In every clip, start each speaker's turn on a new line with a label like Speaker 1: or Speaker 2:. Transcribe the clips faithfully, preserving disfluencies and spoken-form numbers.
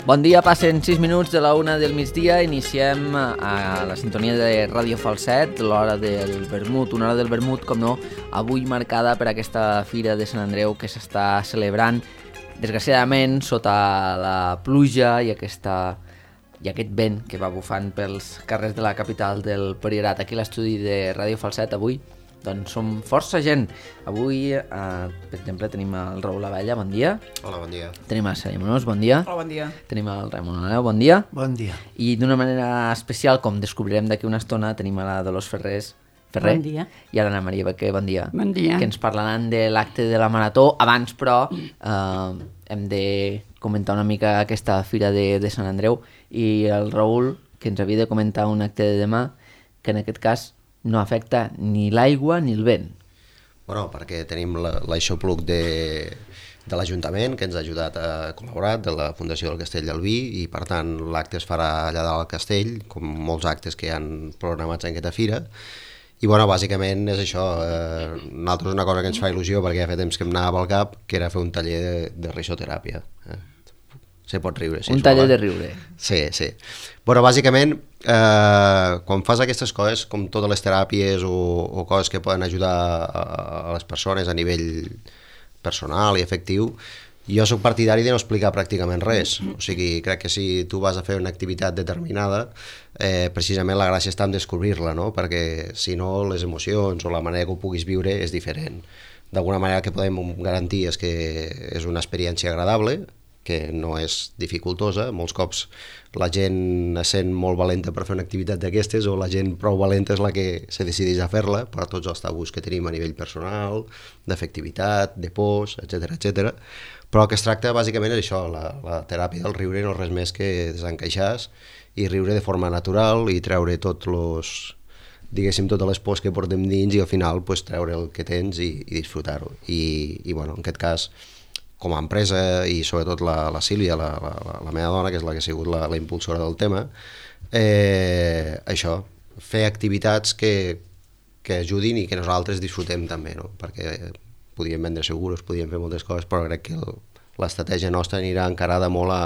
Speaker 1: Bon dia, passen sis minuts de la una del migdia, iniciem a la sintonia de Ràdio Falset, l'hora del vermut, una hora del vermut, com no, avui marcada per aquesta Fira de Sant Andreu que s'està celebrant, desgraciadament, sota la pluja i aquesta i aquest vent que va bufant pels carrers de la capital del Priorat. Aquí a l'estudi de Ràdio Falset avui doncs som força gent. Avui, eh, per exemple, tenim el Raül Abella, bon dia.
Speaker 2: Hola, bon dia.
Speaker 1: Tenim el Sergi Monós, bon dia.
Speaker 3: Hola, bon dia.
Speaker 1: Tenim el Ramon Aneu, bon dia.
Speaker 4: Bon dia.
Speaker 1: I d'una manera especial, com descobrirem d'aquí una estona, tenim a la Dolors Ferrés, Ferrer,
Speaker 3: bon dia.
Speaker 1: I a l'Anna Maria Bequer, bon dia.
Speaker 3: Bon dia.
Speaker 1: Que ens parlaran de l'acte de la Marató. Abans, però, eh, hem de comentar una mica aquesta Fira de, de Sant Andreu i el Raül, que ens havia de comentar un acte de demà, que en aquest cas no afecta ni l'aigua ni el vent.
Speaker 2: Bueno, perquè tenim l'aixopluc de, de l'Ajuntament, que ens ha ajudat a col·laborar, de la Fundació del Castell del Vi, i per tant l'acte es farà allà dalt al castell, com molts actes que hi han programats en aquesta fira. I bueno, bàsicament és això, eh, nosaltres una cosa que ens fa il·lusió, perquè ja fa temps que em anava pel cap, que era fer un taller de, de risoteràpia. Eh? Se pot riure. Si
Speaker 1: un taller de riure.
Speaker 2: Sí, sí. Bueno, bàsicament, eh, quan fas aquestes coses, com totes les teràpies o, o coses que poden ajudar a, a les persones a nivell personal i afectiu, jo soc partidari de no explicar pràcticament res. O sigui, crec que si tu vas a fer una activitat determinada, eh, precisament la gràcia està en descobrir-la, no? Perquè si no, les emocions o la manera que ho puguis viure és diferent. D'alguna manera que podem garantir és que és una experiència agradable, que no és dificultosa. Molts cops la gent es sent molt valenta per fer una activitat d'aquestes, o la gent prou valenta és la que se decideix a fer-la per tots els tabús que tenim a nivell personal, d'afectivitat, de pors, etcètera, etcètera. Però el que es tracta bàsicament és això, la, la teràpia del riure no és res més que desencaixar i riure de forma natural i treure tots los, diguéssim, totes les pors que portem dins i al final pues, treure el que tens i, i disfrutar-ho. I, i bueno, en aquest cas, com a empresa, i sobretot la, la Sílvia, la, la, la meva dona, que és la que ha sigut la, la impulsora del tema, eh, això, fer activitats que, que ajudin i que nosaltres disfrutem també, no? Perquè podíem vendre seguros, podíem fer moltes coses, però crec que l'estratègia nostra anirà encarada molt a,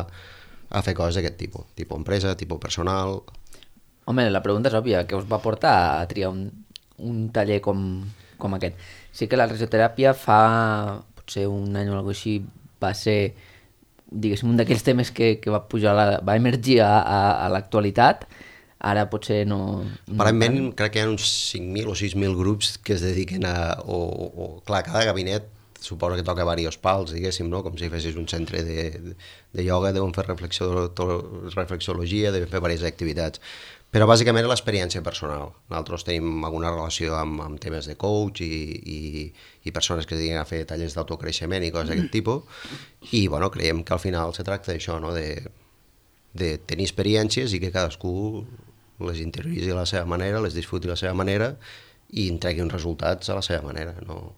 Speaker 2: a fer coses d'aquest tipus, tipus empresa, tipus personal.
Speaker 1: Home, la pregunta és òbvia, què us va portar a triar un, un taller com, com aquest? Sí que la risoteràpia fa potser un any o alguna cosa així va ser, diguéssim, un d'aquells temes que, que va pujar, la, va emergir a, a, a l'actualitat. Ara potser no...
Speaker 2: Aparentment no crec que hi ha uns cinc mil o sis mil grups que es dediquen a... O, o, clar, cada gabinet suposo que toca diversos pals, diguéssim, no? Com si fessis un centre de, de, de ioga, deuen fer reflexio, to, reflexologia, deuen fer diverses activitats. Però bàsicament és l'experiència personal. Nosaltres tenim alguna relació amb, amb temes de coach i, i, i persones que es dediquen a fer tallers d'autocreixement i coses d'aquest tipus, i bueno, creiem que al final se tracta d'això, no? de, de tenir experiències i que cadascú les interioritzi a la seva manera, les disfruti a la seva manera i entregui uns resultats a la seva manera. No?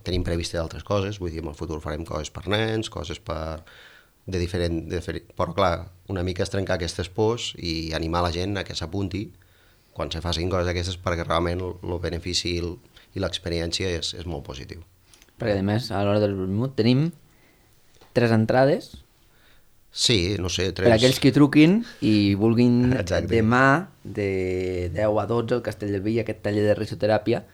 Speaker 2: Tenim previst d'altres coses, vull dir, en el futur farem coses per nens, coses per... de diferent, de diferent... Però clar, una mica és trencar aquestes pors i animar la gent a que s'apunti quan se facin coses d'aquestes, perquè realment el benefici i l'experiència és, és molt positiu.
Speaker 1: Perquè a més, a l'hora del vermut tenim tres entrades.
Speaker 2: Sí, no sé, tres...
Speaker 1: Per aquells que truquin i vulguin
Speaker 2: Exacte.
Speaker 1: Demà de deu a dotze al Castell del Vi aquest taller de risoteràpia,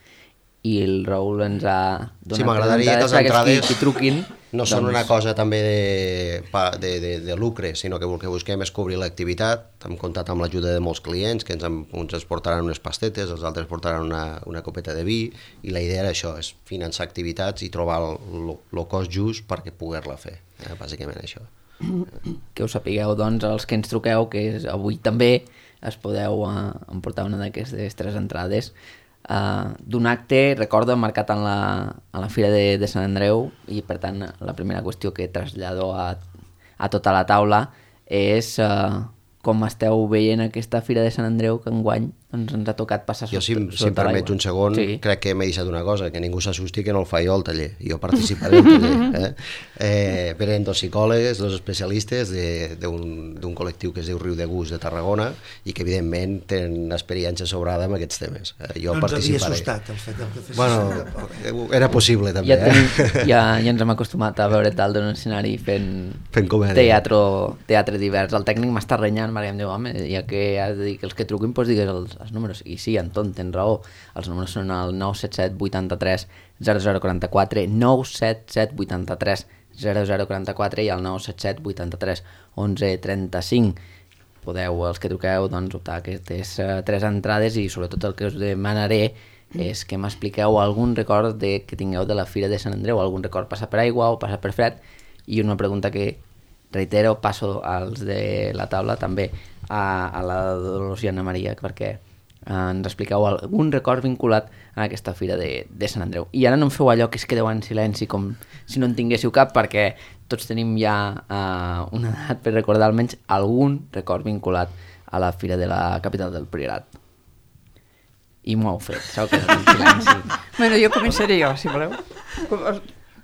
Speaker 1: i el Raül ens ha donat...
Speaker 2: Sí, m'agradaria que les entrades
Speaker 1: que, que truquin,
Speaker 2: no
Speaker 1: doncs...
Speaker 2: són una cosa també de, de, de, de lucre, sinó que el que busquem és cobrir l'activitat. Hem comptat amb l'ajuda de molts clients, que ens, uns ens portaran unes pastetes, els altres portaran una, una copeta de vi, i la idea era això, és finançar activitats i trobar el cost just perquè poder-la fer, eh? Bàsicament això.
Speaker 1: Que ho sapigueu, doncs, els que ens truqueu, que avui també es podeu uh, emportar una d'aquestes tres entrades uh, d'un acte, recordo, marcat en la, en la Fira de, de Sant Andreu, i per tant la primera qüestió que trasllado a, a tota la taula és uh, com esteu veient aquesta Fira de Sant Andreu, que enguany ens, ens ha tocat passar
Speaker 2: jo,
Speaker 1: sota,
Speaker 2: si,
Speaker 1: sota
Speaker 2: si em permets un segon,
Speaker 1: sí.
Speaker 2: crec que m'he deixat una cosa, que ningú s'assusti que no el faig jo al taller, jo participaré al taller. Eh? Eh, venen dos psicòlegs, dos especialistes d'un col·lectiu que es diu Riu de Gust de Tarragona i que evidentment tenen experiència sobrada amb aquests temes. Eh, jo
Speaker 3: no ens
Speaker 2: participaré.
Speaker 3: havia assustat el fet que fes
Speaker 2: bueno, era possible també.
Speaker 1: Ja, tenim,
Speaker 2: eh?
Speaker 1: ja, ja ens hem acostumat a veure tal d'un escenari fent,
Speaker 2: fent
Speaker 1: teatre, teatre divers. El tècnic m'està renyant perquè em diu, home, ja que has de dir que els que truquin, doncs digues els, els números. I sí, Anton, tens raó. Els números són el nou set set vuitanta-tres zero zero quaranta-quatre, nou set set vuitanta-tres zero zero quaranta-quatre i el nou set set vuitanta-tres onze trenta-cinc. Podeu, els que truqueu, doncs, optar a aquestes uh, tres entrades i sobretot el que us demanaré és que m'expliqueu algun record de, que tingueu de la Fira de Sant Andreu, algun record passat per aigua o passat per fred, i una pregunta que reitero, passo als de la taula també a, a la Dolors i Anna Maria perquè eh, ens expliqueu algun record vinculat a aquesta Fira de, de Sant Andreu. I ara no em feu allò que es quedeu en silenci com si no en tinguéssiu cap, perquè tots tenim ja uh, una edat per recordar almenys algun record vinculat a la Fira de la capital del Priorat. I m'ho heu fet, s'heu quedat en silenci.
Speaker 4: Bueno, jo començaré jo, si voleu.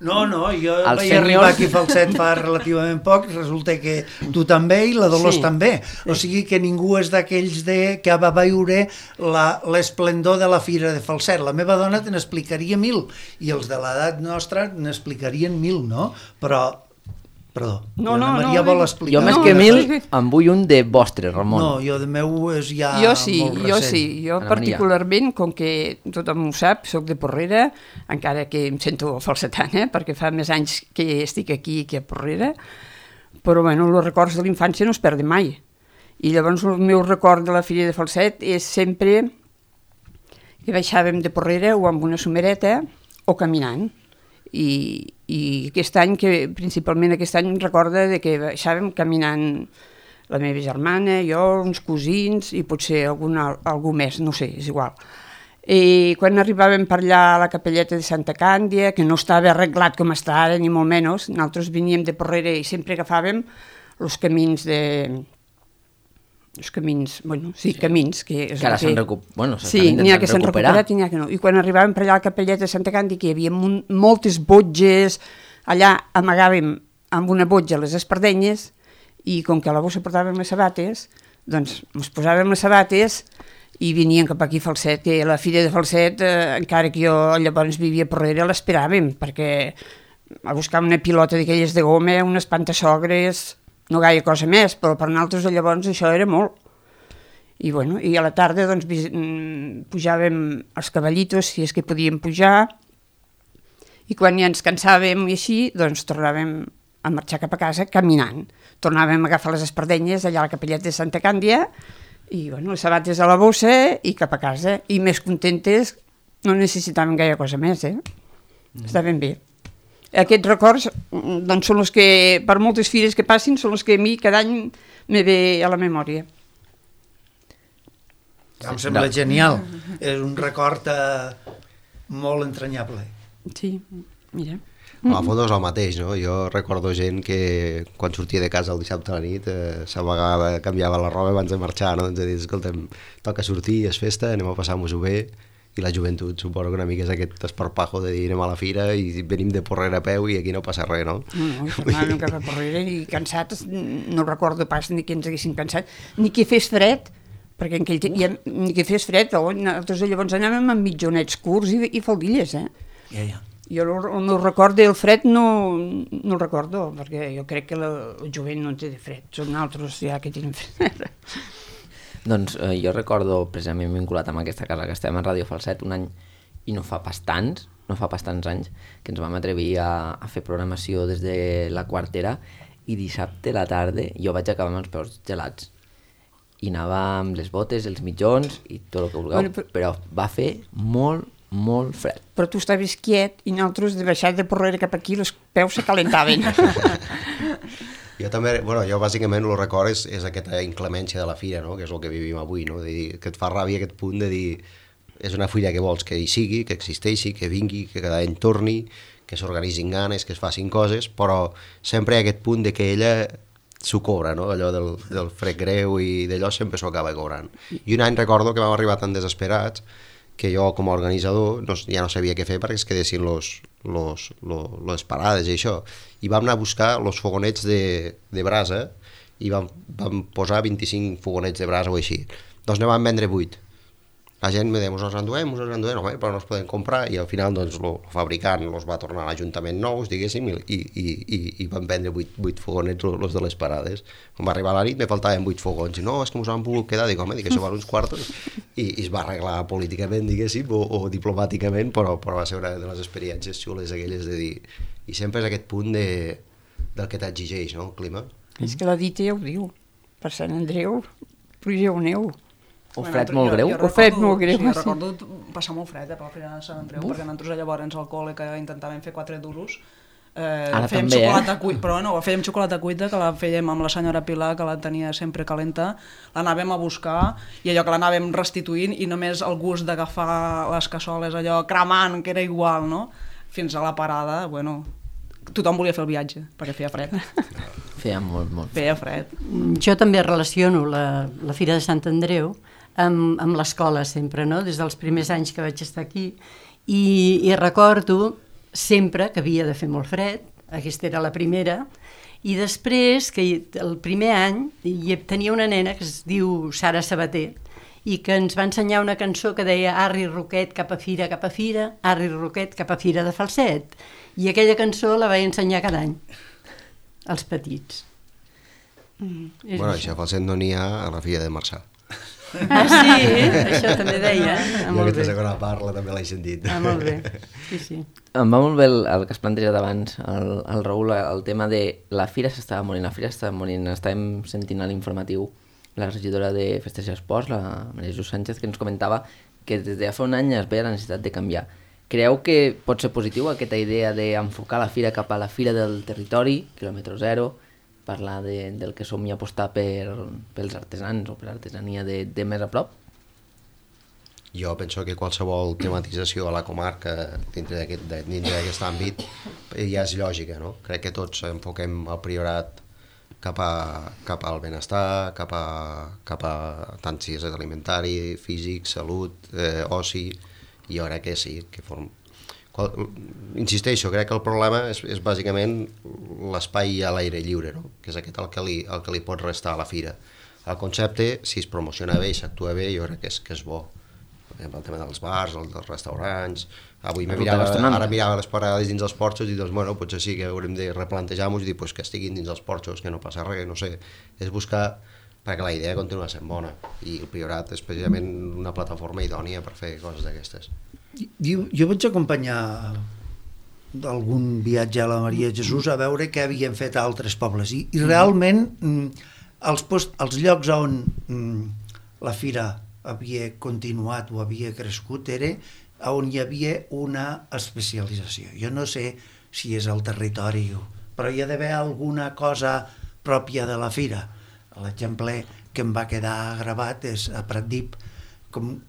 Speaker 3: No, no, jo
Speaker 1: Els
Speaker 3: vaig
Speaker 1: senyors...
Speaker 3: arribar aquí a Falset fa relativament poc, resulta que tu també i la Dolors
Speaker 4: Sí.
Speaker 3: també. O sigui que ningú és d'aquells de que va veure l'esplendor de la Fira de Falset. La meva dona te n'explicaria mil, i els de l'edat nostra n'explicarien mil, no? Però, perdó,
Speaker 4: No,
Speaker 3: la
Speaker 4: no,
Speaker 3: Maria
Speaker 4: no,
Speaker 3: vol
Speaker 4: no.
Speaker 3: explicar.
Speaker 1: Jo més
Speaker 4: No,
Speaker 1: que
Speaker 4: no,
Speaker 1: mil
Speaker 4: sí.
Speaker 1: en vull un de vostre, Ramon.
Speaker 3: No, jo de meu és ja
Speaker 4: Jo sí,
Speaker 3: molt
Speaker 4: jo
Speaker 3: recent.
Speaker 4: sí. Jo
Speaker 1: Anna Maria.
Speaker 4: particularment, com que tothom ho sap, soc de Porrera, encara que em sento falsetana, perquè fa més anys que estic aquí que a Porrera, però bueno, els records de la infància no es perden mai. I llavors el meu record de la Fira de Falset és sempre que baixàvem de Porrera o amb una somereta o caminant. I, i aquest any, que principalment aquest any recorda de que baixàvem caminant la meva germana, jo, uns cosins i potser alguna, algú més, no sé, és igual. I quan arribàvem per allà a la capelleta de Santa Càndia, que no estava arreglat com està ara, ni molt menys, nosaltres veníem de Porrera i sempre agafàvem els camins de... els camins, bueno, sí, camins, que és
Speaker 1: Que ara
Speaker 4: el
Speaker 1: s'han recu... bueno, s'estan
Speaker 4: sí, n'hi ha que s'han
Speaker 1: recuperar.
Speaker 4: recuperat i n'hi ha que no. I quan arribàvem per allà a la capelleta de Santa Càndia, que hi havia mon, moltes botges, allà amagàvem amb una botja les espardenyes i com que a la bossa portàvem les sabates, doncs ens posàvem les sabates i venien cap aquí a Falset, que la Fira de Falset, eh, encara que jo llavors vivia a Porrera, l'esperàvem, perquè a buscar una pilota d'aquelles de goma, unes pantassogres, no gaire cosa més, però per nosaltres llavors això era molt. I, bueno, i a la tarda doncs, pujàvem els cavallitos, si és que podíem pujar, i quan ja ens cansàvem i així, doncs tornàvem a marxar cap a casa caminant. Tornàvem a agafar les espardenyes allà a la capelleta de Santa Càndia, i bueno, les sabates a la bossa i cap a casa. I més contentes, no necessitàvem gaire cosa més, eh? Mm. Estaven bé. Aquests records doncs, són els que, per moltes fires que passin, són els que a mi cada any me ve a la memòria.
Speaker 3: Em sembla genial. És un record eh, molt entranyable.
Speaker 4: Sí, mira.
Speaker 2: A la foto és el mateix, no? Jo recordo gent que quan sortia de casa el dissabte a la nit eh, s'amagava, canviava la roba abans de marxar, no? Doncs de dir, escolta'm, toca sortir, és festa, anem a passar-nos-ho bé. I la joventut suposo que una mica és aquest esparpajo de dir anem a la fira i venim de Porrera a peu i aquí no passa res, no?
Speaker 4: No, no, tornàvem cap a Porrera i cansats, no recordo pas ni que ens haguessin cansat, ni que fes fred, perquè en aquell temps, ja, ni que fes fred, però nosaltres llavors anàvem amb mitjonets curts i, i faldilles, eh?
Speaker 3: Ja, ja.
Speaker 4: Jo el, el meu record del fred no, no el recordo, perquè jo crec que la, el jovent no té de fred, són altres ja que tenen fred.
Speaker 1: Doncs eh, jo recordo, precisament vinculat amb aquesta casa que estem a Ràdio Falset, un any, i no fa pas tants, no fa pas tants anys, que ens vam atrevir a, a fer programació des de la quartera, i dissabte a la tarda jo vaig acabar amb els peus gelats. I anava amb les botes, els mitjons i tot el que vulgueu,
Speaker 4: Bueno, però-
Speaker 1: però va fer molt, molt fred.
Speaker 4: Però tu estaves quiet i nosaltres de baixar de Porrera cap aquí els peus se calentaven.
Speaker 2: Jo també, bueno, jo bàsicament el record és, és aquesta inclemència de la fira, no? Que és el que vivim avui, no? De dir, que et fa ràbia aquest punt de dir és una fira que vols que hi sigui, que existeixi, que vingui, que cada any torni, que s'organitzin ganes, que es facin coses, però sempre hi ha aquest punt de que ella s'ho cobra, no? Allò del, del fred greu i d'allò sempre s'ho acaba cobrant. I un any recordo que vam arribar tan desesperats que jo com a organitzador no, ja no sabia què fer perquè es quedessin los, los, los, les parades i això. I vam anar a buscar els fogonets de, de brasa i vam, vam posar vint-i-cinc fogonets de brasa o així. Doncs ne vam vendre vuit. La gent me deia, us els enduem, us els enduem, no, però no els podem comprar, i al final doncs, el fabricant els va tornar a l'Ajuntament nous, diguéssim, i, i, i, i van vendre vuit, vuit fogonets, els de les parades. Quan va arribar la nit me faltaven vuit fogons, i no, és que mos han volgut quedar, dic, home, dic, això val uns quartos, i, i es va arreglar políticament, diguéssim, o, o diplomàticament, però, però va ser una de les experiències xules aquelles de dir, i sempre és aquest punt de, del que t'exigeix, no?, el clima.
Speaker 4: És que la dita ja ho diu, per Sant Andreu, pluja o neu.
Speaker 1: O fred molt greu?
Speaker 4: O fred molt greu,
Speaker 5: sí. Jo
Speaker 4: sí.
Speaker 5: recordo passar molt fred eh, per la Fira de Sant Andreu, Uf. perquè nosaltres llavors al col·le que intentàvem fer quatre duros, eh,
Speaker 1: Ara
Speaker 5: fèiem
Speaker 1: també,
Speaker 5: xocolata
Speaker 1: eh?
Speaker 5: cuita, però no, fèiem xocolata cuita, que la fèiem amb la senyora Pilar, que la tenia sempre calenta, l'anàvem a buscar, i allò que l'anàvem restituint, i només el gust d'agafar les cassoles, allò cremant, que era igual, no? Fins a la parada, bueno, tothom volia fer el viatge, perquè feia fred.
Speaker 1: Feia molt, molt.
Speaker 5: Feia fred.
Speaker 6: Jo també relaciono la, la Fira de Sant Andreu amb, amb l'escola sempre, no? Des dels primers anys que vaig estar aquí, i, i recordo sempre que havia de fer molt fred, aquesta era la primera, i després, que el primer any, hi tenia una nena que es diu Sara Sabater, i que ens va ensenyar una cançó que deia Arri Roquet cap a fira, cap a fira, Arri Roquet cap a fira de falset, i aquella cançó la vaig ensenyar cada any als petits.
Speaker 2: Mm, bueno, això falset no n'hi ha a la Fira de Marçà.
Speaker 6: Ah, sí? Això també deia. Ah,
Speaker 2: jo aquesta segona parla també l'he sentit.
Speaker 6: Ah, molt bé. Sí, sí.
Speaker 1: Em va molt bé el, el que has plantejat abans, el, el Raül, el tema de la fira s'estava morint, la fira s'estava morint. Estàvem sentint a l'informatiu la regidora de Festes i Esports, la Maria Jesús Sánchez, que ens comentava que des de fa un any es veia la necessitat de canviar. Creu que pot ser positiu aquesta idea d'enfocar la fira cap a la fira del territori, quilòmetre zero, parlar de, del que som i apostar per, pels artesans o per l'artesania de, de més a prop?
Speaker 2: Jo penso que qualsevol tematització a la comarca dintre d'aquest dintre d'aquest àmbit ja és lògica, no? Crec que tots enfoquem el Priorat cap, a, cap al benestar, cap a, cap a tant si és alimentari, físic, salut, eh, oci, i jo crec que sí, que form... Qual, insisteixo, crec que el problema és, és bàsicament l'espai a l'aire lliure, no? Que és aquest el que, li, el que li pot restar a la fira. El concepte, si es promociona bé i s'actua bé, jo crec que és, que és bo. El tema dels bars, el dels restaurants... Avui me mirava, ara mirava les parades dins els porxos i doncs, bueno, potser sí que haurem de replantejar-nos i dir pues, que estiguin dins els porxos, que no passa res, no sé. És buscar, perquè la idea continua sent bona i el Priorat és precisament una plataforma idònia per fer coses d'aquestes.
Speaker 3: Jo, jo vaig acompanyar d'algun viatge a la Maria Jesús a veure què havien fet a altres pobles i, i realment els, post, els llocs on la fira havia continuat o havia crescut era on hi havia una especialització. Jo no sé si és el territori, però hi ha d'haver alguna cosa pròpia de la fira. L'exemple que em va quedar gravat és a Pratdip, com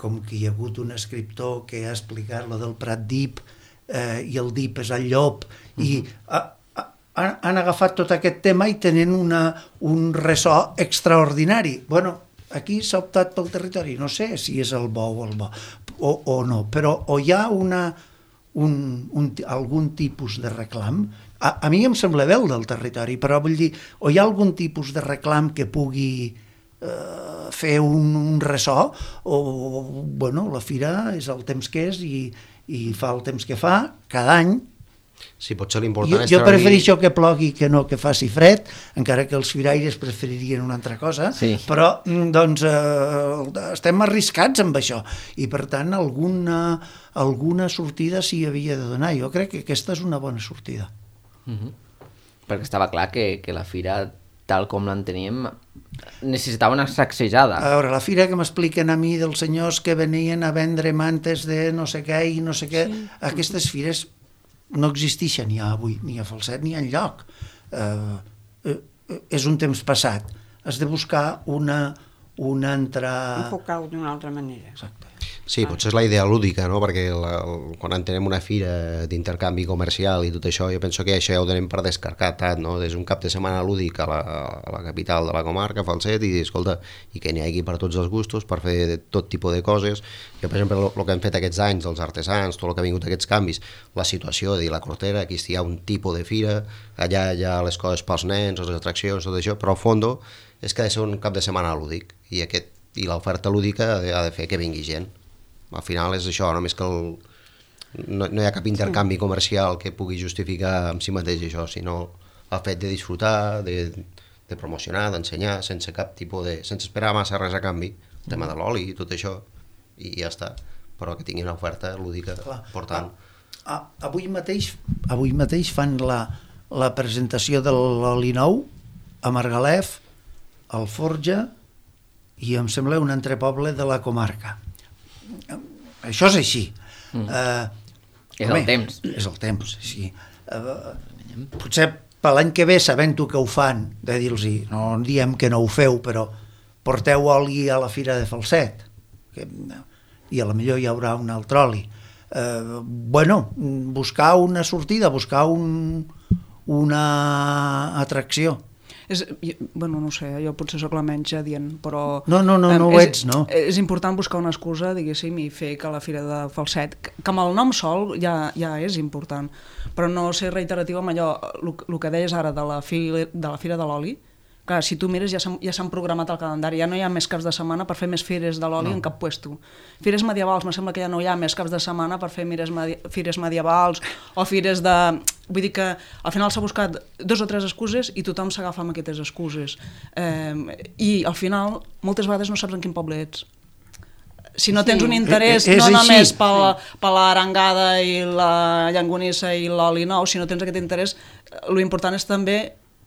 Speaker 3: com que hi ha hagut un escriptor que ha explicat lo del Pratdip eh, i el dip és el llop, uh-huh. i a, a, han agafat tot aquest tema i tenen una, un ressò extraordinari. Bueno, aquí s'ha optat pel territori, no sé si és el bo o el bo, o, o no, però o hi ha una, un, un, algun tipus de reclam, a, a mi em sembla bé el del territori, però vull dir, o hi ha algun tipus de reclam que pugui fer un, un ressò o, bueno, la fira és el temps que és i, i fa el temps que fa cada any.
Speaker 2: Sí, potser l'important
Speaker 3: jo,
Speaker 2: és
Speaker 3: jo
Speaker 2: treure...
Speaker 3: prefereixo que plogui que no que faci fred, encara que els firaires preferirien una altra cosa,
Speaker 1: sí.
Speaker 3: Però doncs eh, estem arriscats amb això i per tant alguna, alguna sortida s'hi havia de donar. Jo crec que aquesta és una bona sortida.
Speaker 1: Mm-hmm. Perquè estava clar que, que la fira, tal com l'enteníem, necessitava una sacsejada.
Speaker 3: A veure, la fira que m'expliquen a mi dels senyors que venien a vendre mantes de no sé què i no sé què, sí. Aquestes fires no existeixen ja avui, ni a Falset ni enlloc. Eh, eh, és un temps passat. Has de buscar una, una altra...
Speaker 4: Enfocar-ho d'una altra manera.
Speaker 3: Exacte.
Speaker 2: Sí, potser és la idea lúdica, no? Perquè la, el, quan entenem una fira d'intercanvi comercial i tot això, jo penso que això ja ho donem per descartat, no? És un cap de setmana lúdic a la, a la capital de la comarca, Falset, i escolta, i que n'hi hagi per tots els gustos, per fer tot tipus de coses. Jo, per exemple, el que hem fet aquests anys, els artesans, tot el que ha vingut aquests canvis, la situació de dir la Cortera, aquí hi ha un tipus de fira, allà hi ha les coses pels nens, les atraccions, tot això, però al fons és que ha de ser un cap de setmana lúdic, i, aquest, i l'oferta lúdica ha de, ha de fer que vingui gent. Al final és això, només que el, no, no hi ha cap intercanvi comercial que pugui justificar amb si mateix això, sinó el fet de disfrutar, de, de promocionar, d'ensenyar, sense cap tipus de... sense esperar massa res a canvi, el tema de l'oli i tot això, i ja està, però que tingui una oferta lúdica important.
Speaker 3: A, a, avui, mateix, avui mateix fan la, la presentació de l'oli nou a Margalef, al Forja, i em sembla un altre poble de la comarca. Això és així.
Speaker 1: Mm.
Speaker 3: Uh,
Speaker 1: és home, el temps.
Speaker 3: És el temps, sí. Uh, potser per l'any que ve, sabent-ho que ho fan, de dir-los, no diem que no ho feu, però porteu oli a la Fira de Falset, que, i a la millor hi haurà un altre oli. Uh, bueno, buscar una sortida, buscar un, una atracció.
Speaker 5: És, bueno, no sé, jo potser sóc la menys adient, però...
Speaker 3: No, no, no, no ho
Speaker 5: és,
Speaker 3: ets, no.
Speaker 5: És important buscar una excusa, diguéssim, i fer que la Fira de Falset, que amb el nom sol ja, ja és important, però no ser reiteratiu amb allò, el que deies ara de la, fi, de la Fira de l'Oli, que si tu mires ja s'han ja s'han programat el calendari, ja no hi ha més caps de setmana per fer més fires de l'oli no. en cap puesto. Fires medievals, me sembla que ja no hi ha més caps de setmana per fer mires medi fires medievals o fires de... Vull dir que al final s'ha buscat dos o tres excuses i tothom s'agafa amb aquestes excuses. Eh, I al final, moltes vegades no saps en quin poble ets. Si no tens un interès
Speaker 3: és, és
Speaker 5: no només
Speaker 3: així.
Speaker 5: per la, per l'arengada i la llangonissa i l'oli nou, si no tens aquest interès, l'important és també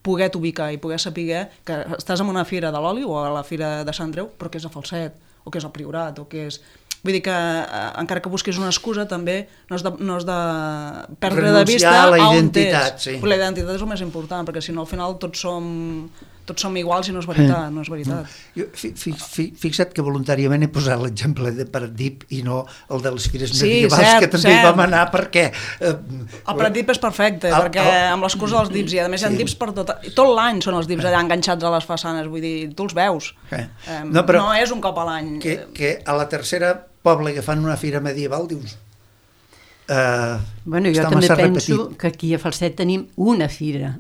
Speaker 5: poder ubicar i poder saber que estàs en una fira de l'oli o a la fira de Sant Andreu, però que és a Falset, o que és al Priorat, o que és... Vull dir que eh, encara que busquis una excusa també no has de, no has de perdre
Speaker 3: renunciar
Speaker 5: de vista
Speaker 3: a la
Speaker 5: on
Speaker 3: identitat,
Speaker 5: ets.
Speaker 3: sí.
Speaker 5: La identitat és el més important, perquè si no al final tots som, tots som iguals i no és veritat, no és veritat.
Speaker 3: Jo, fi, fi, fi, fixa't que voluntàriament he posat l'exemple de Pratdip i no el de les fires
Speaker 5: Sí,
Speaker 3: medievals,
Speaker 5: cert,
Speaker 3: que també
Speaker 5: cert.
Speaker 3: vam anar perquè... Eh,
Speaker 5: El Pratdip és perfecte,
Speaker 3: el-
Speaker 5: perquè
Speaker 3: el-
Speaker 5: amb l'excusa dels dips, i a més hi ha
Speaker 3: Sí.
Speaker 5: dips per tot... Tot l'any són els dips allà enganxats a les façanes, vull dir, tu els veus.
Speaker 3: Eh.
Speaker 5: Eh,
Speaker 3: No, però-
Speaker 5: no és un cop a l'any.
Speaker 3: que, que a la tercera poble que fan una fira medieval dius... Eh,
Speaker 6: Bueno, jo
Speaker 3: està
Speaker 6: també
Speaker 3: massa
Speaker 6: penso
Speaker 3: repetit.
Speaker 6: que aquí a Falset tenim una fira,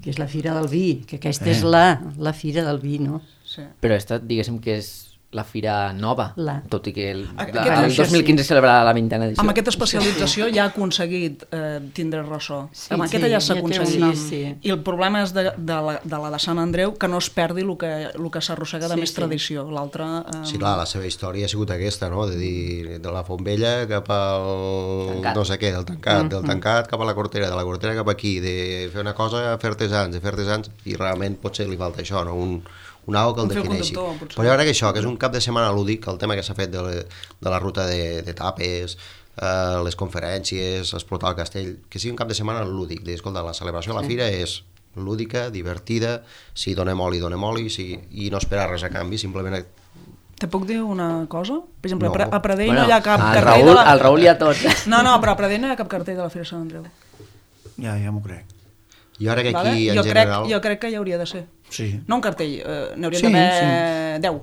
Speaker 6: que és la Fira del Vi, que aquesta
Speaker 3: Eh.
Speaker 6: és la, la Fira del Vi, no?
Speaker 5: Sí.
Speaker 1: Però aquesta, diguéssim que és la fira nova,
Speaker 6: La.
Speaker 1: tot i que el,
Speaker 5: Aquest-
Speaker 1: la, el
Speaker 5: això
Speaker 1: dos mil quinze
Speaker 6: sí.
Speaker 1: celebrarà la vintena edició.
Speaker 5: Amb aquesta especialització ja ha aconseguit eh, tindre ressò.
Speaker 6: Sí,
Speaker 5: Amb aquesta
Speaker 6: sí,
Speaker 5: ja s'ha
Speaker 6: ja té un
Speaker 5: aconseguit.
Speaker 6: nom. Sí, sí.
Speaker 5: I el problema és de, de, la, de la de Sant Andreu, que no es perdi el que, el que s'arrossega de
Speaker 6: Sí,
Speaker 5: més
Speaker 6: sí.
Speaker 5: tradició. L'altra... Eh,
Speaker 2: Sí, clar, la seva història ha sigut aquesta, no? De dir, de la Font Vella cap al...
Speaker 1: Tancat.
Speaker 2: no sé què, del tancat, del tancat cap a la Cortera, de la Cortera cap aquí, de fer una cosa a fer artesans, de fer artesans, i realment potser li falta això, no? Un, un algo que el
Speaker 5: Un fil
Speaker 2: defineixi.
Speaker 5: conductor, potser.
Speaker 2: Però jo crec que això, que és un cap de setmana lúdic, el tema que s'ha fet de, la, de la ruta de, de tapes, eh, les conferències, explotar el castell, que sigui un cap de setmana lúdic, de, escolta, la celebració de la fira és lúdica, divertida, si donem oli, donem oli, si, i no esperar res a canvi, simplement...
Speaker 5: Te puc dir una cosa? Per exemple,
Speaker 2: No.
Speaker 5: no. a Pradell
Speaker 1: Bueno,
Speaker 5: no hi ha cap
Speaker 1: al
Speaker 5: cartell
Speaker 1: Raül,
Speaker 5: de la...
Speaker 1: al Raül hi ha tot.
Speaker 5: No, no, però a Pradell no hi ha cap cartell de la Fira de Sant Andreu.
Speaker 3: Ja, ja m'ho crec.
Speaker 2: Jo crec que aquí,
Speaker 5: Vale?
Speaker 2: en
Speaker 5: Jo,
Speaker 2: general...
Speaker 5: crec, jo crec que hi hauria de ser.
Speaker 3: Sí.
Speaker 5: No un cartell, eh, n'haurien
Speaker 3: Sí,
Speaker 5: d'haver deu.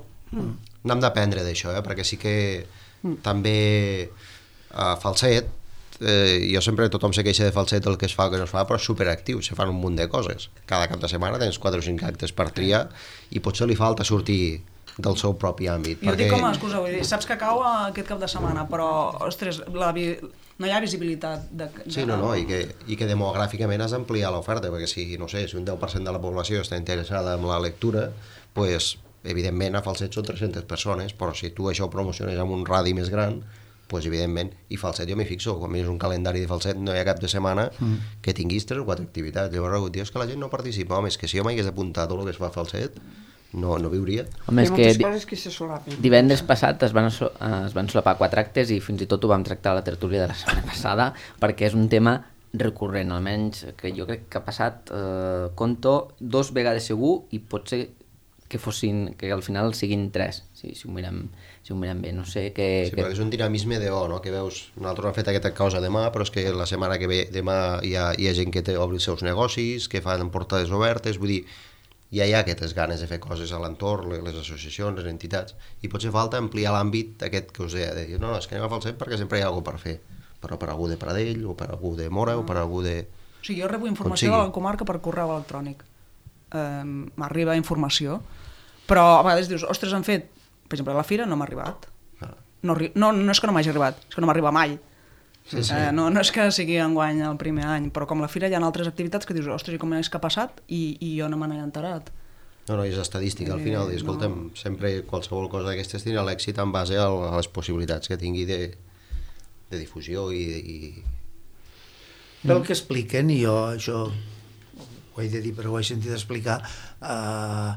Speaker 2: N'hem d'aprendre d'això, eh? Perquè sí que també a Falset, eh, jo sempre tothom se queixa de Falset el que es fa o que no es fa, però és superactiu, se fan un munt de coses. Cada cap de setmana tens quatre o cinc actes per triar i potser li falta sortir del seu propi àmbit.
Speaker 5: Jo ho dic com a excusa, vull dir, saps que cau aquest cap de setmana, però, ostres, la vi... no hi ha visibilitat. De, de...
Speaker 2: Sí, no, no, i que, i que demogràficament has d'ampliar l'oferta, perquè si, no sé, si un deu per cent de la població està interessada en la lectura, pues, evidentment a Falset són tres-centes persones, però si tu això ho promociones amb un radi més gran, pues, evidentment, i Falset jo m'hi fixo, quan mires un calendari de Falset no hi ha cap de setmana mm. que tinguis tres o quatre activitats. Llavors, dius que la gent no participa, home, és que si jo m'hagués apuntat tot el que es fa a Falset, no, no viuria.
Speaker 1: Home, és
Speaker 4: Hi ha
Speaker 1: que
Speaker 4: moltes
Speaker 1: di-
Speaker 4: coses que se solapen.
Speaker 1: divendres passat es van, so- eh, es van solapar quatre actes i fins i tot ho vam tractar a la tertúlia de la setmana passada perquè és un tema recurrent, almenys que jo crec que ha passat, eh, conto, dos vegades segur i potser que fossin, que al final siguin tres, si, si, ho, mirem, si ho mirem bé, no sé que...
Speaker 2: Sí,
Speaker 1: que...
Speaker 2: perquè és un dinamisme de, oh, no? Que veus, nosaltres hem fet aquesta cosa demà, però és que la setmana que ve, demà hi ha, hi ha gent que té, obri els seus negocis, que fan portades obertes, vull dir, ja hi ha aquestes ganes de fer coses a l'entorn, les associacions, les entitats, i potser falta ampliar l'àmbit aquest que us deia, de dir, no, no, és que anem a Falset perquè sempre hi ha alguna per fer, però per algú de Pradell, o per algú de Mora, mm. o per algú de...
Speaker 5: O sigui, jo rebo informació de la comarca per correu electrònic. Eh, m'arriba informació, però a vegades dius, ostres, han fet, per exemple, a la fira no m'ha arribat. Ah. No, no, no és que no m'hagi arribat, és que no m'arriba mai. Sí, sí. Eh, no, no és que sigui enguany el primer any, però com la fira hi ha altres activitats que dius, ostres, i com és que ha passat? I, i jo no me n'he enterat.
Speaker 2: No, no, és estadística al final, i escolta'm, no. Sempre qualsevol cosa d'aquestes tindrà l'èxit en base a les possibilitats que tingui de, de difusió i... i...
Speaker 3: Pel que expliquen, i jo això ho he de dir però ho he sentit explicar, eh,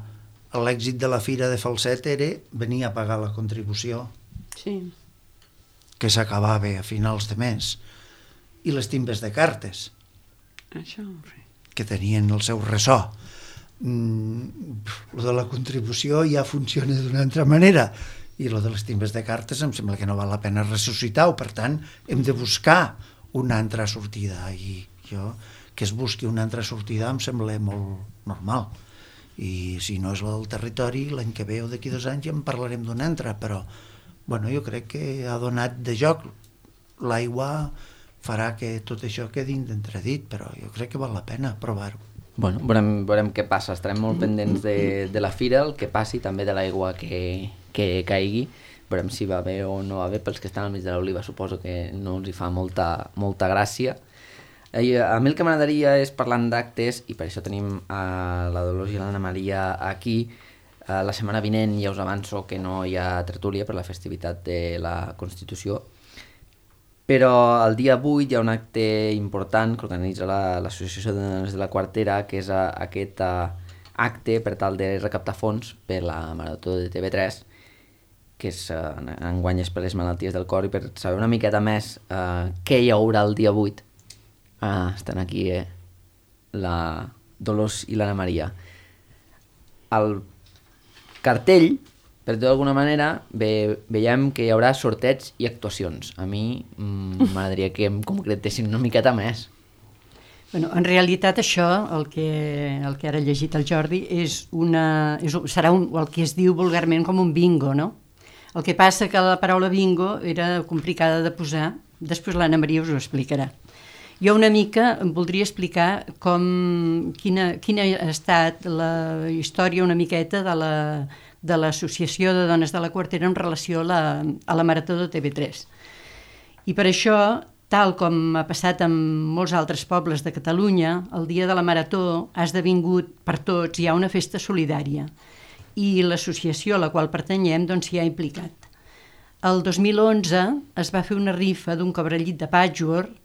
Speaker 3: l'èxit de la fira de Falset era venir a pagar la contribució.
Speaker 6: Sí.
Speaker 3: Que s'acabava a finals de mes, i les timbes de cartes,
Speaker 6: això, sí.
Speaker 3: Que tenien el seu ressò. Mm, lo de la contribució ja funciona d'una altra manera, i lo de les timbes de cartes em sembla que no val la pena ressuscitar-ho, per tant, hem de buscar una altra sortida, i jo, que es busqui una altra sortida em sembla molt normal, i si no és la del territori, l'any que ve o d'aquí dos anys ja en parlarem d'una altra, però bueno, jo crec que ha donat de joc. L'aigua farà que tot això quedi d'entredit, però jo crec que val la pena provar-ho.
Speaker 1: Bueno, veurem, veurem què passa. Estarem molt pendents de, de la fira, el que passi, també de l'aigua que, que caigui. Veurem si va bé o no va bé. Pels que estan al mig de l'Oliva suposo que no els hi fa molta, molta gràcia. Eh, a mi el que m'agradaria és, parlant d'actes, i per això tenim a la Dolors i l'Anna Maria aquí, la setmana vinent ja us avanço que no hi ha tertúlia per la festivitat de la Constitució, però el dia vuit hi ha un acte important que organitza l'Associació de Dones de la Quartera, que és a, aquest a, acte per tal de recaptar fons per la Marató de T V tres, que és, uh, enguany és per les malalties del cor, i per saber una miqueta més uh, què hi haurà el dia vuit, uh, estan aquí eh, la Dolors i l'Anna Maria. El cartell, per dir d'alguna manera, ve, veiem que hi haurà sorteig i actuacions. A mi m'agradaria mm, que em concretessin una miqueta més.
Speaker 6: Bueno, en realitat això, el que, el que ara ha llegit el Jordi, és una, és, serà un, el que es diu vulgarment com un bingo, no? El que passa que la paraula bingo era complicada de posar, després l'Anna Maria us ho explicarà. Jo una mica em voldria explicar com, quina, quina ha estat la història una miqueta de la, de l'Associació de Dones de la Quartera en relació a la, a la Marató de T V tres. I per això, tal com ha passat en molts altres pobles de Catalunya, el dia de la Marató ha esdevingut per tots ja una festa solidària, i l'associació a la qual pertanyem doncs, s'hi ha implicat. El dos mil onze es va fer una rifa d'un cobrellit de patchwork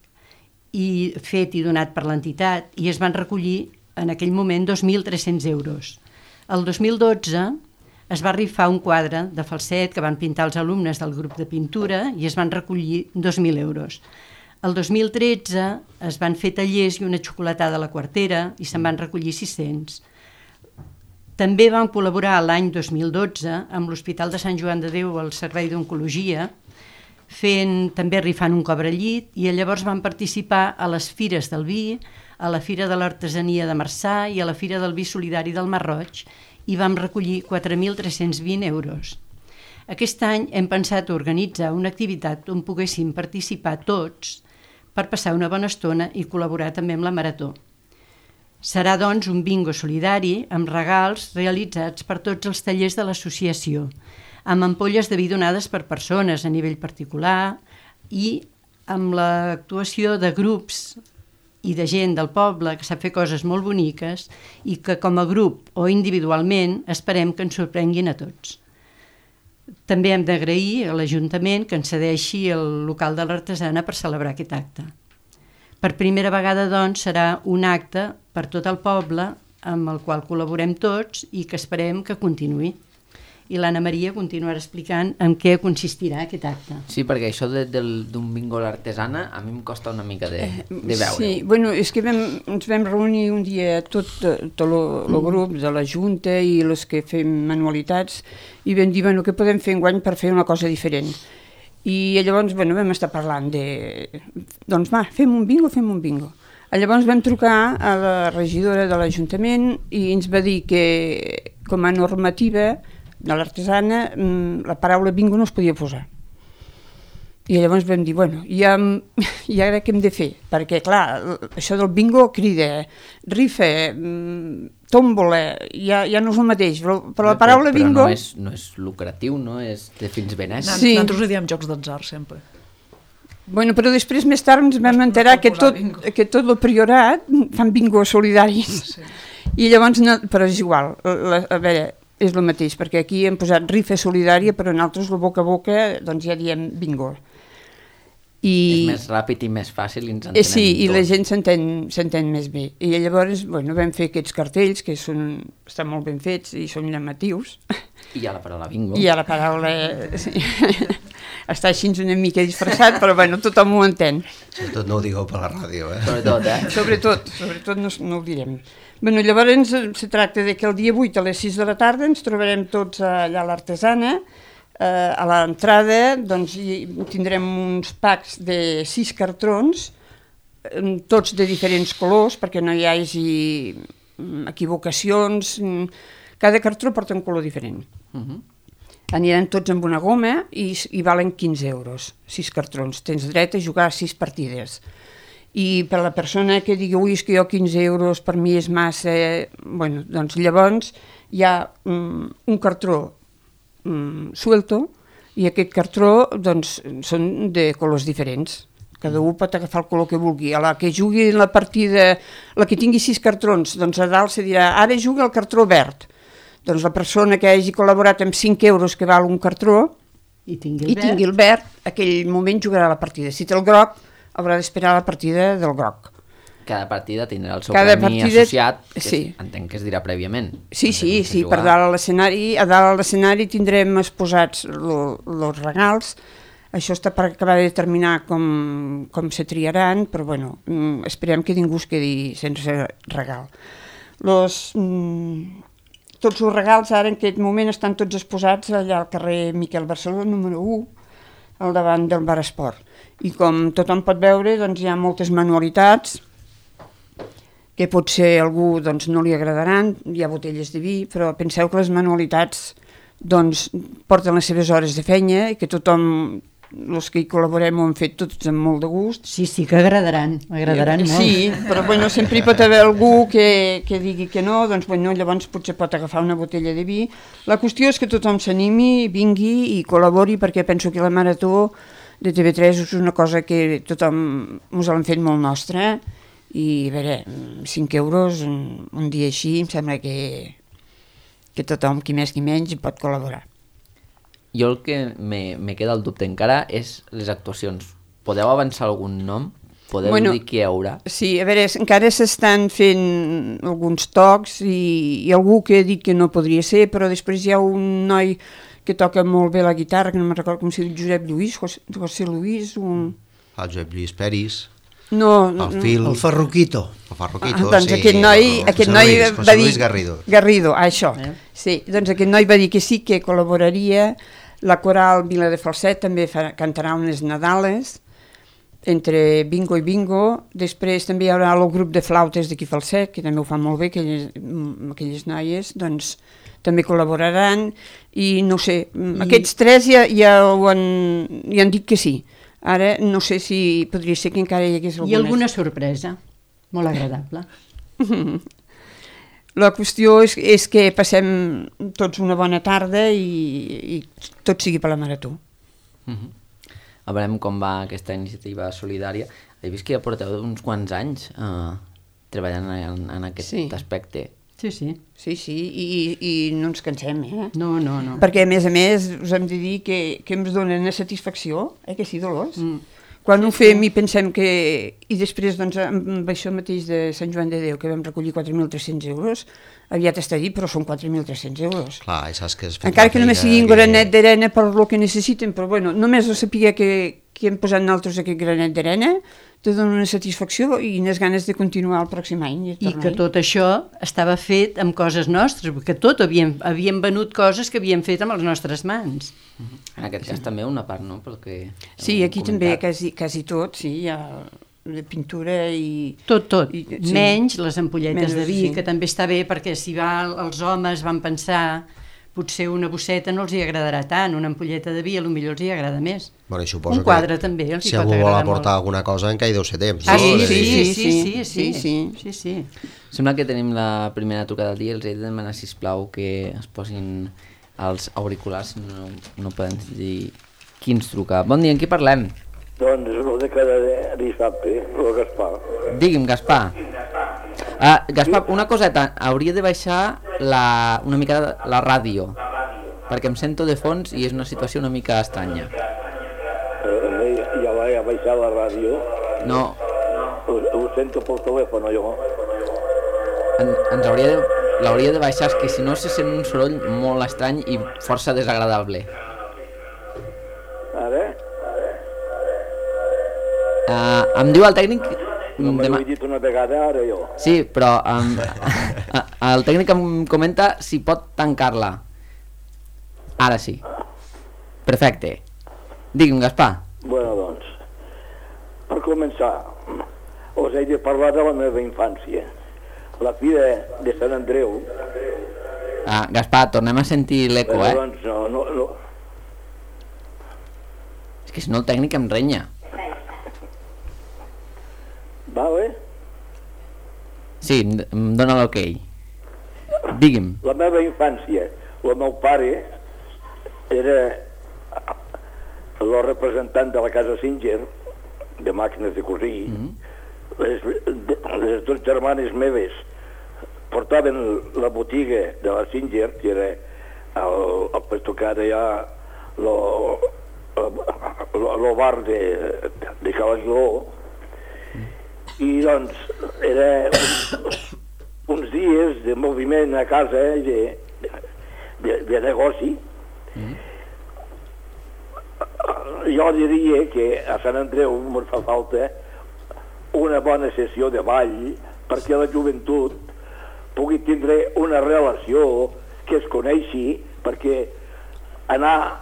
Speaker 6: i fet i donat per l'entitat, i es van recollir en aquell moment dos mil tres-cents euros. El dos mil dotze es va rifar un quadre de Falset que van pintar els alumnes del grup de pintura i es van recollir dos mil euros. El dos mil tretze es van fer tallers i una xocolatada a la Quartera i se'n van recollir sis-cents. També van col·laborar l'any dos mil dotze amb l'Hospital de Sant Joan de Déu al Servei d'Oncologia, fent, també rifant un cobrellit, i llavors van participar a les fires del vi, a la Fira de l'Artesania de Marçà i a la Fira del Vi Solidari del Mar Roig, i vam recollir quatre mil tres-cents vint euros. Aquest any hem pensat organitzar una activitat on poguéssim participar tots per passar una bona estona i col·laborar també amb la Marató. Serà, doncs, un bingo solidari amb regals realitzats per tots els tallers de l'associació, amb ampolles de vi donades per persones a nivell particular i amb l'actuació de grups i de gent del poble que sap fer coses molt boniques i que com a grup o individualment esperem que ens sorprenguin a tots. També hem d'agrair a l'Ajuntament que ens cedeixi el local de l'Artesana per celebrar aquest acte. Per primera vegada, doncs, serà un acte per tot el poble amb el qual col·laborem tots i que esperem que continuï. i l'Anna Maria continuarà explicant en què consistirà aquest acte.
Speaker 1: Sí, perquè això de, del- d'un bingo a l'artesana a mi em costa una mica de, de veure.
Speaker 4: Sí, bueno, és que vam, ens vam reunir un dia tot, tot el grup de la Junta i els que fem manualitats i vam dir, bueno, què podem fer enguany per fer una cosa diferent. I llavors, bueno, vam estar parlant de... Doncs va, fem un bingo, fem un bingo. Llavors vam trucar a la regidora de l'Ajuntament i ens va dir que, com a normativa de l'artesana, la paraula bingo no es podia posar. I llavors vam dir, bueno, i, um, i ara què hem de fer? Perquè, clar, això del bingo crida, rifa, tòmbola, ja, ja no és el mateix, però, però la paraula
Speaker 1: però, però
Speaker 4: bingo...
Speaker 1: no és, no és lucratiu, no? És de fins benès.
Speaker 5: Nan-
Speaker 4: Sí.
Speaker 5: Nosaltres ho diem jocs d'atzar, sempre.
Speaker 4: Bueno, però després, més tard, ens vam enterar
Speaker 5: pot
Speaker 4: que
Speaker 5: posar
Speaker 4: tot,
Speaker 5: bingo.
Speaker 4: que tot el priorat fan bingos solidaris.
Speaker 5: Sí.
Speaker 4: I llavors, no, però és igual, la, a veure, és el mateix, perquè aquí hem posat rifa solidària, però nosaltres, el boca a boca, doncs ja diem bingo. I,
Speaker 1: És més ràpid i més fàcil i ens
Speaker 4: eh,
Speaker 1: entenem
Speaker 4: sí, i la
Speaker 1: tots.
Speaker 4: gent s'entén s'entén més bé. I llavors, bueno, vam fer aquests cartells, que són, estan molt ben fets i són llamatius.
Speaker 1: I ja la paraula bingo.
Speaker 4: I a la paraula... Sí. Està així una mica disfressat, però bueno, tothom ho entén.
Speaker 2: Sobretot no ho digueu per la ràdio, eh?
Speaker 1: Sobretot, eh?
Speaker 4: Sobretot, sobretot no, no ho direm. Bueno, llavors eh, se tracta de que el dia vuit a les sis de la tarda ens trobarem tots allà a l'artesana. Eh, a l'entrada doncs, hi tindrem uns packs de sis cartrons, eh, tots de diferents colors, perquè no hi hagi mm, equivocacions. mm, Cada cartró porta un color diferent.
Speaker 1: Uh -huh.
Speaker 4: Aniran tots amb una goma i, i valen quinze euros, sis cartrons. Tens dret a jugar sis partides. I per la persona que digui, ui, és que jo quinze euros per mi és massa... Bueno, doncs llavors hi ha um, un cartró um, suelto i aquest cartró doncs, són de colors diferents. Cada un pot agafar el color que vulgui. A la que jugui la partida, la que tingui sis cartrons, doncs a dalt se dirà, ara juga el cartró verd. Doncs la persona que hagi col·laborat amb cinc euros que val un cartró
Speaker 6: I tingui el
Speaker 4: i
Speaker 6: verd.
Speaker 4: tingui el verd, aquell moment jugarà la partida. Si té el groc, haurà d'esperar la partida del groc.
Speaker 1: Cada partida tindrà el seu
Speaker 4: Cada
Speaker 1: premi
Speaker 4: partida-
Speaker 1: associat, que
Speaker 4: sí.
Speaker 1: entenc que es dirà prèviament.
Speaker 4: Sí,
Speaker 1: Antes
Speaker 4: sí,
Speaker 1: de
Speaker 4: sí,
Speaker 1: jugar.
Speaker 4: per dalt a l'escenari, a dalt a l'escenari tindrem exposats els regals. Això està per acabar de determinar com, com se triaran, però bueno, mm, esperem que ningú es quedi sense regal. Los, mm, tots els regals ara en aquest moment estan tots exposats allà al carrer Miquel Barceló, número u, al davant del Bar Esport. I com tothom pot veure, doncs hi ha moltes manualitats, que potser a algú doncs, no li agradaran, hi ha botelles de vi, però penseu que les manualitats doncs, porten les seves hores de feina i que tothom, els que hi col·laborem, ho han fet tots amb molt de gust.
Speaker 6: Sí, sí, que agradaran, agradaran molt.
Speaker 4: Sí, però bueno, sempre hi pot haver algú que, que digui que no, doncs bueno, llavors potser pot agafar una botella de vi. La qüestió és que tothom s'animi, vingui i col·labori, perquè penso que la marató de T V tres és una cosa que tothom ens l'han fet molt nostra, i a veure, cinc euros un, un dia així em sembla que, que tothom, qui més qui menys, hi pot col·laborar.
Speaker 1: Jo el que me, me queda el dubte encara és les actuacions. Podeu avançar algun nom? Podeu
Speaker 4: Bueno,
Speaker 1: dir qui hi haurà?
Speaker 4: Sí, a veure, encara s'estan fent alguns tocs i, i algú que ha dit que no podria ser, però després hi ha un noi que toca molt bé la guitarra, que no me'n recordo com si diu Josep Lluís, José, José Luis, un...
Speaker 2: El Josep Lluís Peris,
Speaker 4: No, no,
Speaker 2: el Fil,
Speaker 3: El Ferruquito.
Speaker 2: el Farroquito,
Speaker 4: Ah, doncs
Speaker 2: sí,
Speaker 4: aquest noi,
Speaker 2: el
Speaker 4: aquest
Speaker 2: José
Speaker 4: noi
Speaker 2: Luis,
Speaker 4: va
Speaker 2: José
Speaker 4: dir...
Speaker 2: Luis Garrido.
Speaker 4: Garrido, ah, això.
Speaker 6: Eh?
Speaker 4: Sí, doncs aquest noi va dir que sí, que col·laboraria. La coral Vila de Falset també fa, cantarà unes Nadales, entre bingo i bingo. Després també hi haurà el grup de flautes d'aquí Falset, que també ho fan molt bé, aquelles, aquelles noies, doncs també col·laboraran. I no sé, I... aquests tres ja, ja, ho han, ja han dit que sí. Ara no sé si podria ser que encara hi hagués alguna.
Speaker 6: I alguna sorpresa, molt agradable.
Speaker 4: La qüestió és, és que passem tots una bona tarda i, i tot sigui per la marató.
Speaker 1: Uh -huh. A veurem com va aquesta iniciativa solidària. He vist que ja porteu uns quants anys eh, treballant en, en aquest
Speaker 4: Sí.
Speaker 1: aspecte.
Speaker 6: Sí, sí.
Speaker 4: Sí, sí, i, i no ens cansem, eh?
Speaker 6: No, no, no.
Speaker 4: Perquè, a més a més, us hem de dir que, que ens donen una satisfacció, eh, que sí, Dolors?
Speaker 6: Mm.
Speaker 4: quan ho fem i pensem que... I després, doncs, amb això mateix de Sant Joan de Déu, que vam recollir quatre mil tres-cents euros, aviat està dit, però són quatre mil tres-cents euros.
Speaker 2: Clar, i saps que...
Speaker 4: Encara que només sigui un granet d'arena per lo que necessiten, però bueno, només de saber que, que hem posat nosaltres aquest granet d'arena, te dona una satisfacció i unes ganes de continuar el pròxim any. I,
Speaker 6: I que tot això estava fet amb coses nostres, perquè tot havíem, havíem venut coses que havíem fet amb les nostres mans.
Speaker 1: En aquest cas també una part, no? Perquè
Speaker 4: sí, aquí també quasi, quasi tot, sí, hi ha de pintura i...
Speaker 6: Tot, tot,
Speaker 4: i,
Speaker 6: sí. Menys les ampolletes
Speaker 4: Menys,
Speaker 6: de vi,
Speaker 4: sí.
Speaker 6: que també està bé, perquè si va, els homes van pensar potser una bosseta no els hi agradarà tant, una ampolleta de vi potser els hi agrada més.
Speaker 2: Bueno, un
Speaker 6: quadre també els hi
Speaker 2: si
Speaker 6: pot
Speaker 2: algú vol
Speaker 6: agradar
Speaker 2: aportar
Speaker 6: molt.
Speaker 2: Alguna cosa encara hi deu ser temps.
Speaker 6: Ah,
Speaker 2: no?
Speaker 6: sí, sí,
Speaker 4: sí,
Speaker 6: sí, sí, sí, sí,
Speaker 4: sí,
Speaker 6: sí, sí, sí.
Speaker 1: Sembla que tenim la primera trucada del dia, els he de demanar, sisplau, que es posin els auriculars, no, no poden dir qui ens truca. Bon dia, en qui parlem?
Speaker 7: Doncs el de cada dissabte, el Gaspar.
Speaker 1: Digui'm, Gaspar. Uh, Gaspar, una coseta, hauria de baixar la, una mica la ràdio, perquè em sento de fons i és una situació una mica estranya.
Speaker 7: Eh, ja vaig a baixar la ràdio.
Speaker 1: No.
Speaker 7: Ho, ho sento pel telèfon, jo.
Speaker 1: En, ens hauria de, l'hauria de baixar, és que si no se sent un soroll molt estrany i força desagradable.
Speaker 7: Ara?
Speaker 1: Uh, em diu el tècnic...
Speaker 7: No m'ho
Speaker 1: demà...
Speaker 7: he dit una vegada ara, jo.
Speaker 1: Sí, però um, el tècnic em comenta si pot tancar-la. Ara sí. Perfecte. Digui'm, Gaspar.
Speaker 7: Bueno, doncs, per començar, us he de parlar de la meva infància. La fira de Sant Andreu...
Speaker 1: Ah, Gaspar, tornem a sentir l'eco, eh?
Speaker 7: Doncs no, no, no.
Speaker 1: És que si no el tècnic em renya.
Speaker 7: Vale?
Speaker 1: Sí, em dona l'ok. Digui'm.
Speaker 7: La meva infància, el meu pare era el representant de la casa Singer, de màquines de cosir. Mm-hmm. les, les dues germanes meves portaven la botiga de la Singer, que era el, el puesto que ara hi ha el bar de, de Calaguiló. I doncs era uns, uns dies de moviment a casa, de, de, de negoci. Mm. Jo diria que a Sant Andreu ens fa falta una bona sessió de ball perquè la joventut pugui tindre una relació que es coneixi, perquè anar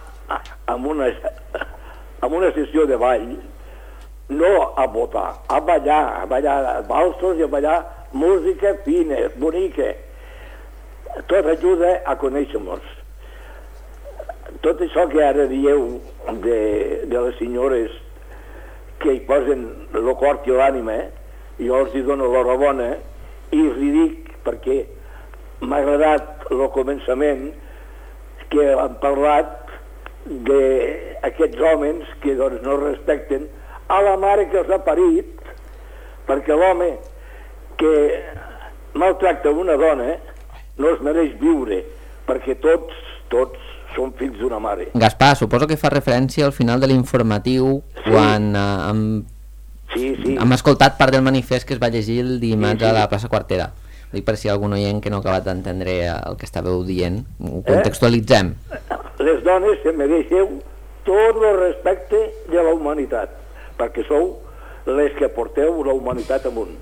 Speaker 7: amb una, amb una sessió de ball no a votar, a ballar, a ballar valsos i a ballar música fina, bonica. Tot ajuda a conèixer-nos. Tot això que ara dieu de, de les senyores que hi posen el cor i l'ànima, jo els hi dono l'enhorabona i els hi dic perquè m'ha agradat el començament que han parlat d'aquests homes que doncs, no respecten a la mare que els ha parit, perquè l'home que maltracta una dona no es mereix viure, perquè tots, tots són fills d'una mare.
Speaker 1: Gaspar, suposo que fa referència al final de l'informatiu, sí. quan uh, hem,
Speaker 7: sí, sí.
Speaker 1: hem escoltat part del manifest que es va llegir el dimarts sí, sí. a la plaça Quartera. Dic per si hi ha algun oient que no ha acabat d'entendre el que estàveu dient, ho contextualitzem.
Speaker 7: Eh? Les dones se mereixeu tot el respecte de la humanitat, perquè sou les que porteu la humanitat amunt.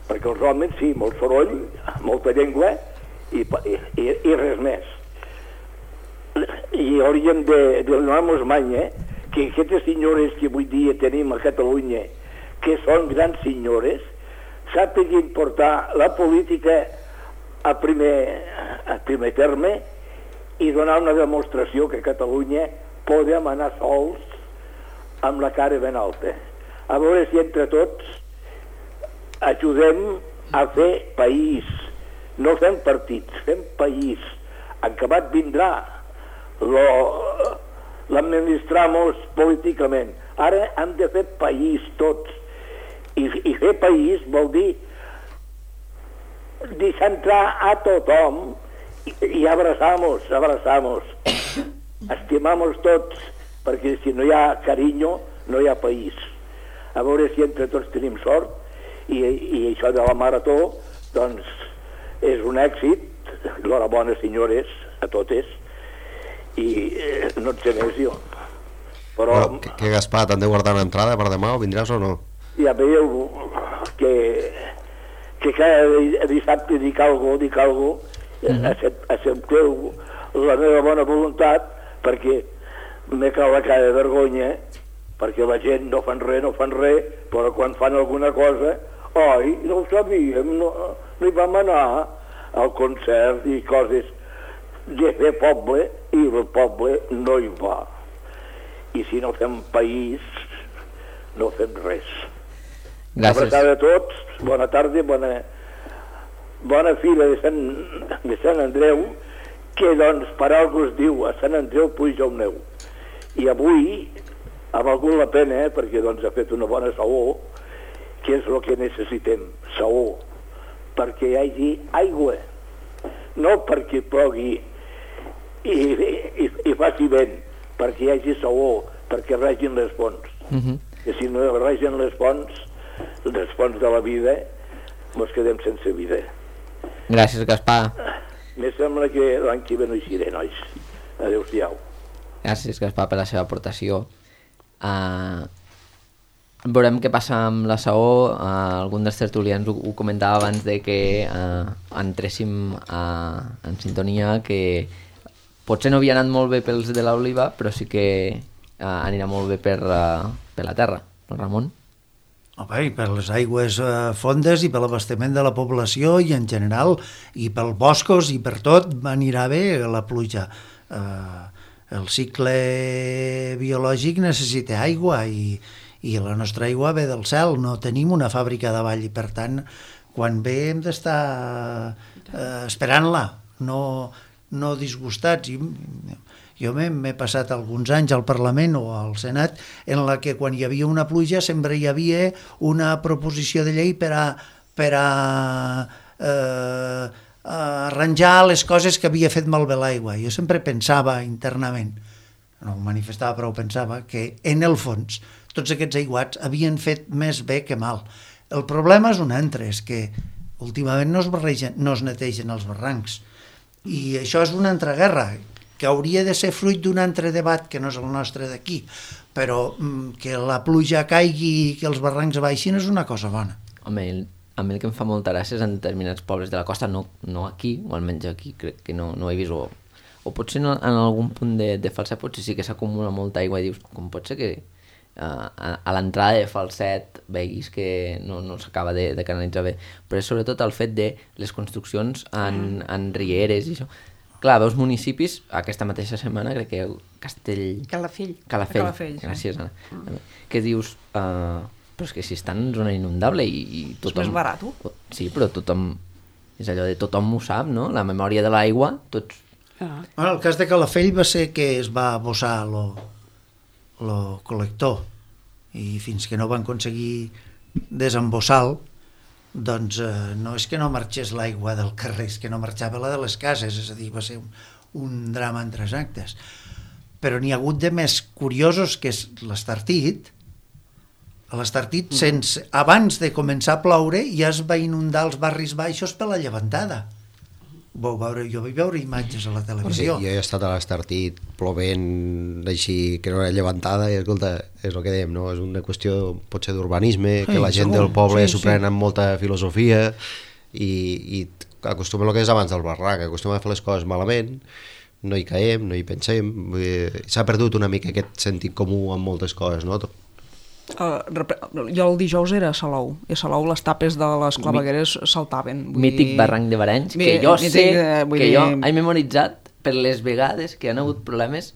Speaker 7: Perquè els homes, sí, molt soroll, molta llengua i, i, i res més. I hauríem de, de donar-nos manya que aquestes senyores que avui dia tenim a Catalunya, que són grans senyores, sàpiguin portar la política a primer, a primer terme i donar una demostració que a Catalunya podem anar sols amb la cara ben alta. A veure si entre tots ajudem a fer país. No fem partits, fem país. Acabat vindrà l'administrar-nos políticament. Ara hem de fer país tots. I, i fer país vol dir deixar entrar a tothom i, i abraçar-nos, abraçar-nos. Estimar-nos tots, perquè si no hi ha carinyo no hi ha país. A veure si entre tots tenim sort i, i això de la marató, doncs, és un èxit. L'horabona, senyores, a totes, i eh, no et sé més jo. Però...
Speaker 2: Bueno, que, que Gaspar, t'han de guardar una entrada per demà o vindràs o no?
Speaker 7: Ja veieu que, que cada dissabte dic alguna cosa, dic alguna cosa, accepteu la meva bona voluntat, perquè me cau la cara de vergonya, perquè la gent no fan res, no fan res, però quan fan alguna cosa, oi, no ho sabíem, no, no hi vam anar al concert i coses de fer poble, i el poble no hi va. I si no fem país, no fem res.
Speaker 1: Gràcies.
Speaker 7: Abraçada a tots, bona tarda, bona, bona fila de Sant, de Sant Andreu, que doncs per algú es diu a Sant Andreu puja el neu. I avui ha valgut la pena, eh, perquè doncs ha fet una bona saó, que és el que necessitem, saó, perquè hi hagi aigua, no perquè plogui i, i, i faci vent, perquè hi hagi saó, perquè regin les fonts.
Speaker 1: Uh-huh.
Speaker 7: Que si no regen les fonts, les fonts de la vida, ens quedem sense vida.
Speaker 1: Gràcies, Gaspar.
Speaker 7: Me sembla que l'any que ve no hi seré, nois. Adéu-siau.
Speaker 1: Gràcies, Gaspar, per la seva aportació. Uh, veurem què passa amb la saó. Uh, algun dels tertulians ho, ho comentava abans de que uh, entréssim uh, en sintonia, que potser no havia anat molt bé pels de l'Oliva, però sí que uh, anirà molt bé per, uh, per la terra, no, Ramon?
Speaker 3: Home, i per les aigües eh, fondes i per l'abastament de la població i en general, i pels boscos i per tot anirà bé la pluja. Eh, el cicle biològic necessita aigua i, i la nostra aigua ve del cel, no tenim una fàbrica de vall i per tant quan ve hem d'estar eh, esperant-la, no, no disgustats. I, jo m'he passat alguns anys al Parlament o al Senat en la que quan hi havia una pluja sempre hi havia una proposició de llei per a, per a, eh, a arranjar les coses que havia fet malbé l'aigua. Jo sempre pensava internament, no ho manifestava però ho pensava, que en el fons tots aquests aiguats havien fet més bé que mal. El problema és un altre, és que últimament no es, barregen, no es netegen els barrancs i això és una altra guerra que hauria de ser fruit d'un altre debat que no és el nostre d'aquí, però mm, que la pluja caigui i que els barrancs baixin és una cosa bona.
Speaker 1: Home, el, a mi el que em fa molta gràcia és en determinats pobles de la costa, no, no aquí, o almenys aquí crec que no, no he vist, o, o potser no, en algun punt de, de Falset potser sí que s'acumula molta aigua i dius, com pot ser que uh, a, a l'entrada de Falset veguis que no, no s'acaba de, de canalitzar bé, però és sobretot el fet de les construccions en, en rieres i això. Clar, veus municipis, aquesta mateixa setmana, crec que Castell...
Speaker 4: Calafell.
Speaker 1: Calafell,
Speaker 5: Calafell, sí.
Speaker 1: gràcies, Anna. Mm. Que dius, uh, però és que si estan en zona inundable i, i tothom...
Speaker 5: És més barat.
Speaker 1: Sí, però tothom... És allò de tothom ho sap, no? La memòria de l'aigua, tots...
Speaker 4: Ah.
Speaker 3: Bueno, el cas de Calafell va ser que es va bossar lo, lo col·lector i fins que no van aconseguir desembossar-lo, doncs eh, no és que no marxés l'aigua del carrer, és que no marxava la de les cases, és a dir, va ser un, un drama en tres actes. Però n'hi ha hagut de més curiosos, que és l'Estartit. L'Estartit, mm. sense, abans de començar a ploure, ja es va inundar els barris baixos per la llevantada. Vau veure, jo vaig veure imatges a la televisió.
Speaker 2: Sí, jo he estat a l'Estartit plovent així, que no era llevantada, i escolta, és el que dèiem, no? És una qüestió potser d'urbanisme, sí, que la gent segur, del poble s'ho sí, pren sí. amb molta filosofia i, i acostuma el que és abans del barranc, acostuma a fer les coses malament, no hi caiem, no hi pensem, s'ha perdut una mica aquest sentit comú amb moltes coses, no?
Speaker 5: Uh, jo el dijous era a Salou i a Salou les tapes de les clavegueres saltaven. Vull
Speaker 1: mític
Speaker 5: dir...
Speaker 1: barranc de Barenys, que jo mític, sé eh, que dir... jo he memoritzat per les vegades que han hagut problemes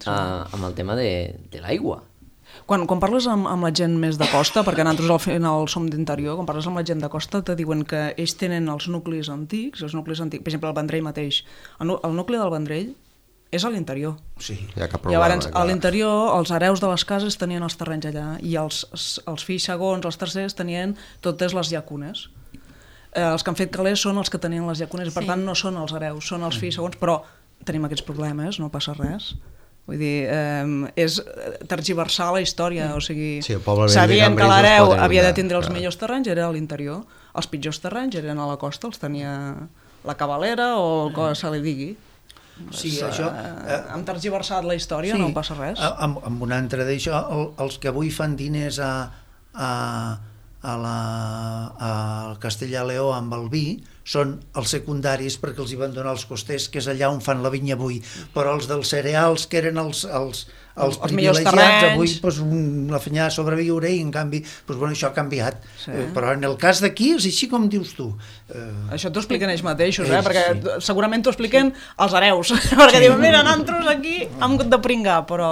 Speaker 1: uh, amb el tema de, de l'aigua.
Speaker 5: Quan, quan parles amb, amb la gent més de costa, perquè nosaltres al final som d'interior, quan parles amb la gent de costa te diuen que ells tenen els nuclis antics, els nuclis antics, per exemple el Vendrell mateix, el, el nucli del Vendrell és a l'interior.
Speaker 3: Sí,
Speaker 2: hi ha cap problema.
Speaker 5: Llavors, a l'interior, els hereus de les cases tenien els terrenys allà i els, els fills segons, els tercers, tenien totes les llacunes. Eh, els que han fet calés són els que tenien les llacunes, sí. Per tant no són els hereus, són els fills segons, però tenim aquests problemes, no passa res. Vull dir, eh, és tergiversar la història, o sigui,
Speaker 2: Sí, el poble vell de
Speaker 5: sabien
Speaker 2: Can
Speaker 5: que
Speaker 2: Brils no es
Speaker 5: l'hereu
Speaker 2: pot
Speaker 5: havia de
Speaker 2: inundar,
Speaker 5: tindre els
Speaker 2: clar.
Speaker 5: millors terrenys, era a l'interior, els pitjors terrenys eren a la costa, els tenia la cavalera o el que se li digui.
Speaker 3: Sí,
Speaker 5: Pues,
Speaker 3: això...
Speaker 5: Eh, hem tergiversat la història, no passa res.
Speaker 3: a- Amb, amb un altre d'això, el, els que avui fan diners a, a, a la, al Castellà-Leó amb el vi són els secundaris perquè els hi van donar els costers, que és allà on fan la vinya avui, però els dels cereals, que eren els, els, els,
Speaker 5: Els millors
Speaker 3: privilegiats,
Speaker 5: terrenys.
Speaker 3: avui pues, un, la fenyà a sobreviure i en canvi pues, bueno, això ha canviat.
Speaker 5: Sí.
Speaker 3: Eh, però en el cas d'aquí és així com dius tu. Eh,
Speaker 5: Això t'ho expliquen ells mateixos, eh?
Speaker 3: Ells,
Speaker 5: perquè
Speaker 3: sí.
Speaker 5: segurament t'ho expliquen els hereus, perquè diuen, mira, nosaltres aquí hem hagut de pringar, però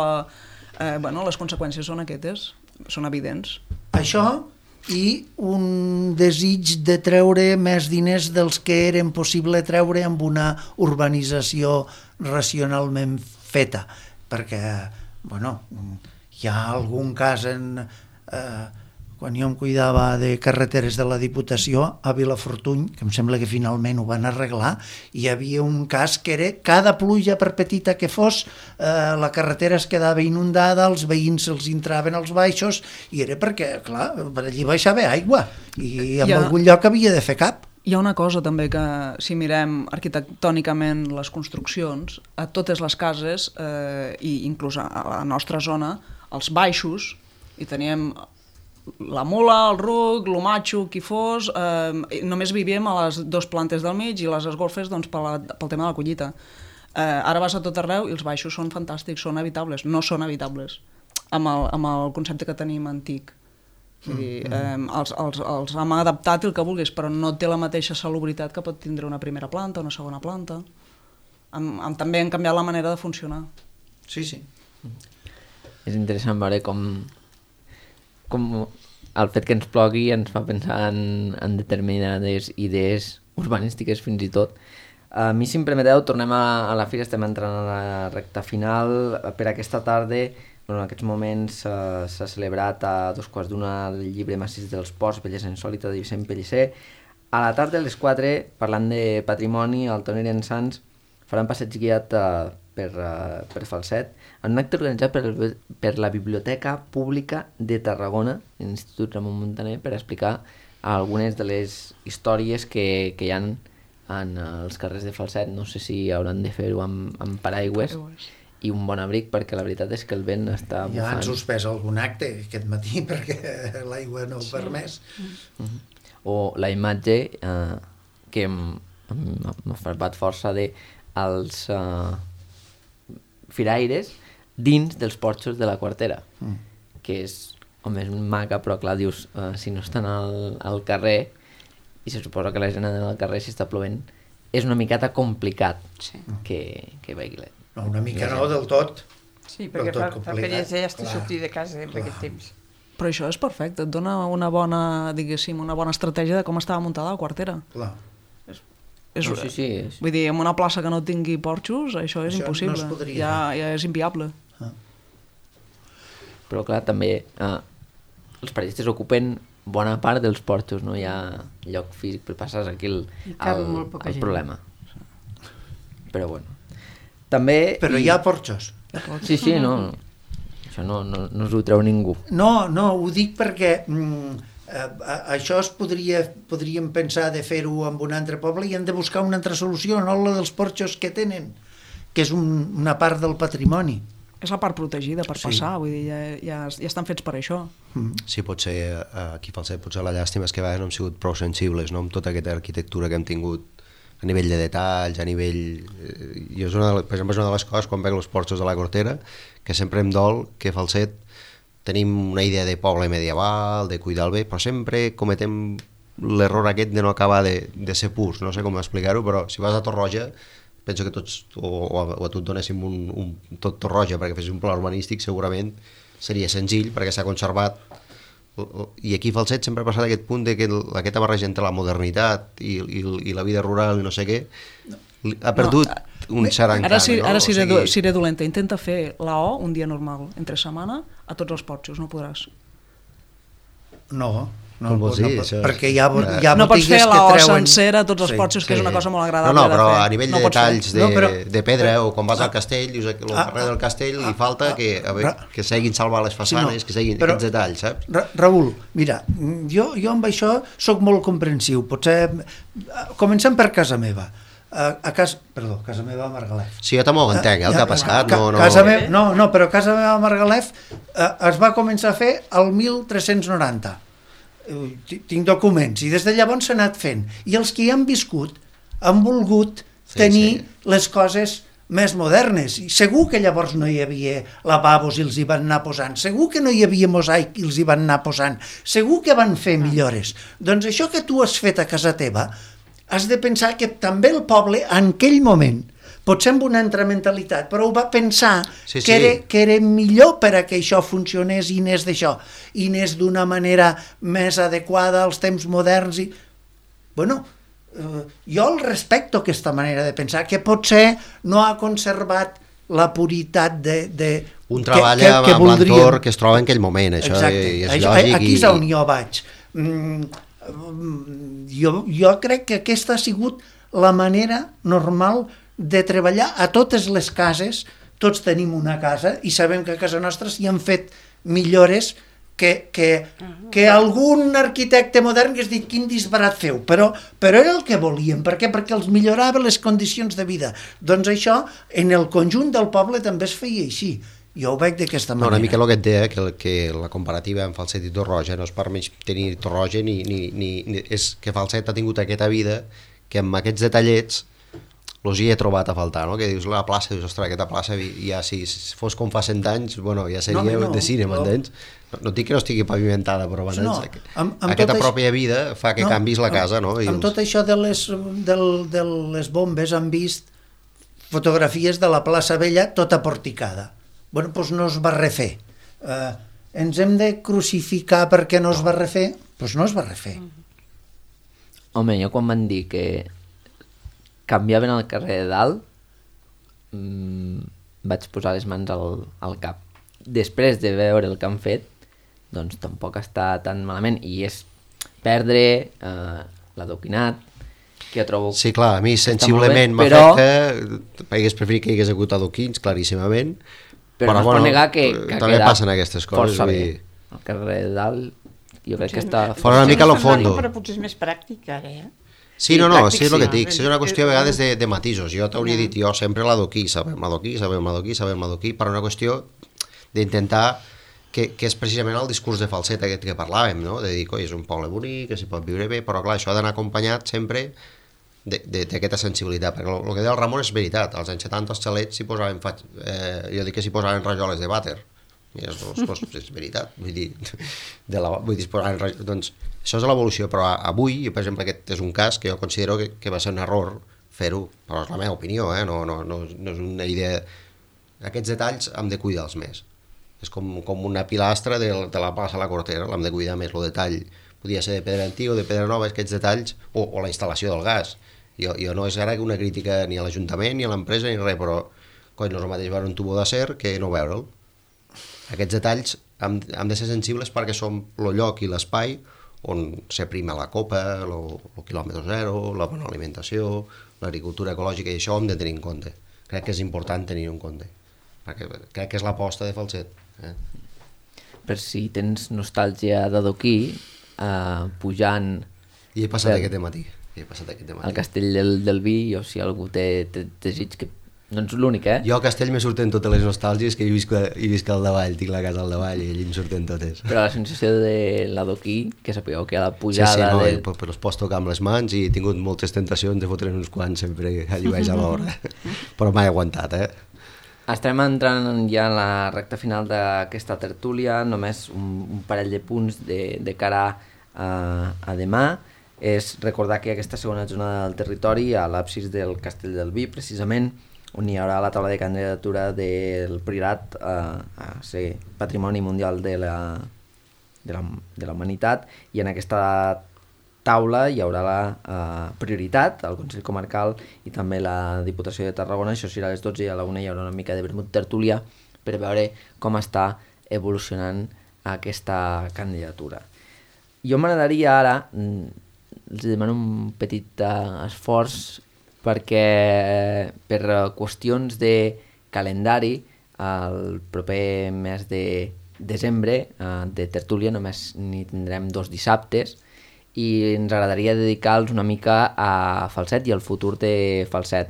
Speaker 5: eh, bueno, les conseqüències són aquestes, són evidents.
Speaker 3: Això i un desig de treure més diners dels que eren possible treure amb una urbanització racionalment feta, perquè, bueno, hi ha algun cas en... Eh, quan jo em cuidava de carreteres de la Diputació a Vilafortuny, que em sembla que finalment ho van arreglar, hi havia un cas que era cada pluja, per petita que fos, eh, la carretera es quedava inundada, els veïns se'ls entraven als baixos, i era perquè, clar, per allí baixava aigua, i en
Speaker 5: Ja.
Speaker 3: algun lloc havia de fer cap.
Speaker 5: Hi ha una cosa també que, si mirem arquitectònicament les construccions, a totes les cases, eh, i inclús a la nostra zona, els baixos, i teníem la mula, el ruc, l'homatxo, qui fos, eh, només vivíem a les dues plantes del mig i les esgolfes doncs, per la, pel tema de la collita. Eh, ara vas a tot arreu i els baixos són fantàstics, són habitables, no són habitables, amb el, amb el concepte que tenim antic. Vull dir, eh, els, els, els hem adaptat el que vulguis, però no té la mateixa salubritat que pot tindre una primera planta, una segona planta. Hem, hem, també hem canviat la manera de funcionar.
Speaker 3: Sí, sí.
Speaker 1: És interessant veure com, com el fet que ens plogui ens fa pensar en, en determinades idees urbanístiques fins i tot. A mi, si em permeteu, tornem a, a la fira, estem entrant a la recta final. Per aquesta tarda, bueno, en aquests moments uh, s'ha celebrat a dos quarts d'una el llibre Massís dels Ports, Bellesa Insòlita, de Vicent Pellicer. A la tarda, a les quatre, parlant de patrimoni, al Tonera en Sants faran passeig guiat uh, per, uh, per Falset, en un acte organitzat per, el, per la Biblioteca Pública de Tarragona, l'Institut Ramon Muntaner, per explicar algunes de les històries que, que hi ha en els carrers de Falset. No sé si hauran de fer-ho amb, amb paraigües i un bon abric, perquè la veritat és que el vent està bufant.
Speaker 3: Ja han suspès algun acte aquest matí perquè l'aigua no ho permès.
Speaker 1: Uh-huh. O la imatge eh, que m'ha farbat força de els uh, firaires dins dels porxos de la Quartera, mm. que és, home, és maca, però clar, dius, uh, si no estan al, al carrer, i se suposa que la gent en el carrer si està plovent, és una miqueta complicat
Speaker 4: Sí.
Speaker 1: que, que vegi la...
Speaker 3: No, una mica no, del tot.
Speaker 4: Sí, perquè
Speaker 3: Del tot
Speaker 4: fa, fa
Speaker 3: complicat,
Speaker 4: peresa ja estic
Speaker 3: clar,
Speaker 4: sortir de casa en
Speaker 3: clar.
Speaker 4: aquest temps.
Speaker 5: Però això és perfecte, et dona una bona, diguéssim, una bona estratègia de com estava muntada la Quartera.
Speaker 3: Clar.
Speaker 5: És,
Speaker 1: No, sí, sí, és...
Speaker 5: Vull dir, en una plaça que no tingui porxos, això és
Speaker 3: Això no
Speaker 5: impossible.
Speaker 3: es podria.
Speaker 5: Ja, ja és inviable.
Speaker 1: Però clar, també eh, els periodistes ocupen bona part dels porxos, no hi ha lloc físic per passar aquí el,
Speaker 6: I cap
Speaker 1: el,
Speaker 6: molt poca
Speaker 1: el
Speaker 6: gent.
Speaker 1: problema. Però bueno. També...
Speaker 3: Però
Speaker 1: i...
Speaker 3: hi ha porxos.
Speaker 1: Sí, sí, no. Això no, no, no us ho treu ningú.
Speaker 3: No, no, ho dic perquè mm, eh, això es podria, podríem pensar de fer-ho amb un altre poble i hem de buscar una altra solució, no la dels porxos que tenen, que és un, una part del patrimoni.
Speaker 5: És la part protegida per
Speaker 3: Sí.
Speaker 5: passar, vull dir, ja, ja, ja estan fets per això.
Speaker 2: Sí, potser eh, aquí a Falset potser la llàstima és que a vegades no hem sigut prou sensibles, no?, amb tota aquesta arquitectura que hem tingut a nivell de detalls, a nivell... Eh, jo és una de, per exemple, és una de les coses quan veig els porxos de la Cortera, que sempre em dol que a Falset tenim una idea de poble medieval, de cuidar el bé, però sempre cometem l'error aquest de no acabar de, de ser purs, no sé com explicar-ho, però si vas a Torroja, penso que tots, o, o, a, o a tu et donéssim un, un tot Torroja perquè fessis un pla urbanístic, segurament seria senzill perquè s'ha conservat. I aquí a Falset sempre ha passat aquest punt de que el, aquesta barreja entre la modernitat i, i, i la vida rural i no sé què ha perdut no, un cert encant.
Speaker 5: Ara, si,
Speaker 2: no?
Speaker 5: ara seré,
Speaker 2: o sigui...
Speaker 5: seré dolenta, intenta fer la O un dia normal, entre setmana, a tots els porxos, no podràs.
Speaker 3: No, No,
Speaker 2: Com vols
Speaker 3: no,
Speaker 2: dir,
Speaker 3: no,
Speaker 2: això és-
Speaker 3: perquè hi ha, bo-
Speaker 2: Eh,
Speaker 3: hi ha
Speaker 5: No pots fer
Speaker 3: botigues
Speaker 5: la
Speaker 3: que
Speaker 5: O
Speaker 3: treuen...
Speaker 5: sencera, tots els
Speaker 3: Sí,
Speaker 5: porxos, que és una cosa molt
Speaker 2: No,
Speaker 5: agradable
Speaker 2: no, però
Speaker 5: de fer.
Speaker 2: a nivell
Speaker 5: No
Speaker 2: de
Speaker 5: pots fer.
Speaker 2: detalls de,
Speaker 3: No, però-
Speaker 2: de pedra, o quan vas al castell, dius que el
Speaker 3: Ah,
Speaker 2: carrer del castell li
Speaker 3: ah,
Speaker 2: falta
Speaker 3: ah,
Speaker 2: que, a veure,
Speaker 3: Ra-
Speaker 2: que seguin salvar les façanes,
Speaker 3: no,
Speaker 2: que seguin
Speaker 3: però-
Speaker 2: aquests detalls, saps?
Speaker 3: Ra Raül, mira, jo, jo amb això sóc molt comprensiu. Potser... Comencem per casa meva. A, a casa... Perdó, casa meva a Margalef.
Speaker 2: Sí, jo també ho entenc, eh, el que ha passat,
Speaker 3: Ca
Speaker 2: no, no...
Speaker 3: Casa me... no, no, però casa meva a Margalef eh, es va començar a fer el mil tres-cents noranta. Eh, Tinc documents, i des de llavors s'ha anat fent. I els que hi han viscut han volgut
Speaker 2: Sí,
Speaker 3: tenir
Speaker 2: sí.
Speaker 3: les coses més modernes. I segur que llavors no hi havia lavabos i els hi van anar posant. Segur que no hi havia mosaic i els hi van anar posant. Segur que van fer millores. Doncs això que tu has fet a casa teva, has de pensar que també el poble, en aquell moment, potser amb una altra mentalitat, però ho va pensar
Speaker 2: Sí, sí.
Speaker 3: que, era, que era millor per a que això funcionés i anés d'això, i anés d'una manera més adequada als temps moderns. I... Bueno, eh, jo el respecto aquesta manera de pensar, que potser no ha conservat la puritat de... de
Speaker 2: Un treball que, que, que amb
Speaker 3: voldríem.
Speaker 2: l'entorn que es troba en aquell moment, això
Speaker 3: Exacte.
Speaker 2: és
Speaker 3: Això,
Speaker 2: lògic.
Speaker 3: aquí
Speaker 2: i,
Speaker 3: és on jo vaig. Mm, jo, jo crec que aquesta ha sigut la manera normal de treballar a totes les cases. Tots tenim una casa i sabem que a casa nostra s'hi han fet millores que, que, que algun arquitecte modern hagués dit quin disbarat feu, però, però era el que volíem. Per què? Perquè els millorava les condicions de vida. Doncs això, en el conjunt del poble també es feia així. Jo ho veig d'aquesta
Speaker 2: No,
Speaker 3: manera.
Speaker 2: una mica el que et deia, que, el- que la comparativa amb Falset i Torroja no és per menys tenir Torroja ni, ni, ni, ni... És que Falset ha tingut aquesta vida que amb aquests detallets els hi he trobat a faltar, no? Que dius la plaça, dius, ostres, aquesta plaça ja si fos com fa cent anys, bueno, ja seria
Speaker 3: No,
Speaker 2: no,
Speaker 3: no,
Speaker 2: de cine,
Speaker 3: no.
Speaker 2: m'entens? No, no dic que no estigui pavimentada, però m'entens?
Speaker 3: No, amb- amb
Speaker 2: Aquesta
Speaker 3: tot això-
Speaker 2: pròpia vida fa que
Speaker 3: No,
Speaker 2: canvis la
Speaker 3: amb-
Speaker 2: casa, no? I
Speaker 3: Amb
Speaker 2: els-
Speaker 3: tot això de les, del, de les bombes han vist fotografies de la plaça Vella tota porticada. Bueno, doncs no es va refer. Eh, ens hem de crucificar perquè no es va refer? Doncs no es va refer.
Speaker 1: Home, jo quan van dir que canviaven el carrer de dalt, mmm, vaig posar les mans al, al cap. Després de veure el que han fet, doncs tampoc està tan malament, i és perdre eh, l'adoquinat, que jo trobo...
Speaker 2: Sí, clar, a mi
Speaker 1: que està molt
Speaker 2: sensiblement
Speaker 1: bé, però-
Speaker 2: m'afecta, hagués preferit que hi hagués hagut adoquins, claríssimament,
Speaker 1: però, no es pot negar que, que
Speaker 2: també
Speaker 1: ha quedat
Speaker 2: passen aquestes coses.
Speaker 1: força
Speaker 2: vull
Speaker 1: bé.
Speaker 2: dir.
Speaker 1: El carrer de dalt, jo crec que està...
Speaker 2: Fora una mica a lo fondo.
Speaker 4: Però potser és més pràctic ara, eh?
Speaker 2: Sí, no, no,
Speaker 4: pràctic,
Speaker 2: sí, és el que et
Speaker 4: sí.
Speaker 2: dic, és una qüestió a vegades de, de matisos. Jo t'hauria dit, jo sempre l'adoquí, sabem l'adoquí, sabem l'adoquí, sabem l'adoquí, per una qüestió d'intentar que, que és precisament el discurs de falset aquest que parlàvem, no? De dir, coi, és un poble bonic, que s'hi pot viure bé, però clar, això ha d'anar acompanyat sempre d'aquesta sensibilitat, perquè el, el que deia el Ramon és veritat, als anys setanta els xalets s'hi posaven, eh, jo dic que s'hi posaven rajoles de vàter, i és, doncs, és veritat, vull dir, de la, vull dir, posaven rajoles, doncs això és l'evolució, però avui, per exemple, aquest és un cas que jo considero que, que va ser un error fer-ho, però és la meva opinió, eh? no, no, no, no és una idea... Aquests detalls hem de cuidar-los més. És com, com una pilastra de, de la plaça a la Cortera, l'hem de cuidar més, el detall. Podia ser de pedra antiga o de pedra nova, aquests detalls, o, o la instal·lació del gas. Jo, jo no és ara una crítica ni a l'Ajuntament, ni a l'empresa, ni res, però coi, no és el mateix veure un tubo d'acer que no veure'l. Aquests detalls hem, hem de ser sensibles perquè som el lloc i l'espai on s'aprima la copa, el quilòmetre zero, la bona alimentació, l'agricultura ecològica, i això ho hem de tenir en compte. Crec que és important tenir en compte, perquè crec que és l'aposta de Falset. Eh?
Speaker 1: Per si tens nostàlgia d'adoquí, eh, pujant
Speaker 2: I he passat
Speaker 1: Del-
Speaker 2: aquest matí. I he passat aquest matí.
Speaker 1: al castell del, del Vi, o si algú té, té desig, que no ets l'únic, eh?
Speaker 2: Jo a Castell me surten totes les nostàlgies que hi visc, hi visc al davall, tinc la casa al davall i allí em surten totes.
Speaker 1: Però la sensació de l'adoquí, que sapigueu que a la
Speaker 2: Sí,
Speaker 1: pujada...
Speaker 2: sí, no,
Speaker 1: de...
Speaker 2: i, però els pots tocar amb les mans i he tingut moltes tentacions de fotre uns quants sempre allí baix a l'hora. Però mai he aguantat, eh?
Speaker 1: Estem entrant ja en la recta final d'aquesta tertúlia, només un, un parell de punts de, de cara a, a demà. És recordar que aquesta segona jornada del territori, a l'absis del Castell del Vi, precisament, on hi haurà la taula de candidatura del Priorat eh, a ser Patrimoni Mundial de la, de la, de la Humanitat, i en aquesta taula hi haurà la eh, prioritat, el Consell Comarcal i també la Diputació de Tarragona. Això serà a les dotze, i a la una hi haurà una mica de vermut tertúlia per veure com està evolucionant aquesta candidatura. jo m'agradaria ara, els demano un petit uh, esforç perquè per qüestions de calendari el proper mes de desembre uh, de tertúlia només n'hi tindrem dos dissabtes i ens agradaria dedicar-los una mica a Falset i al futur de Falset.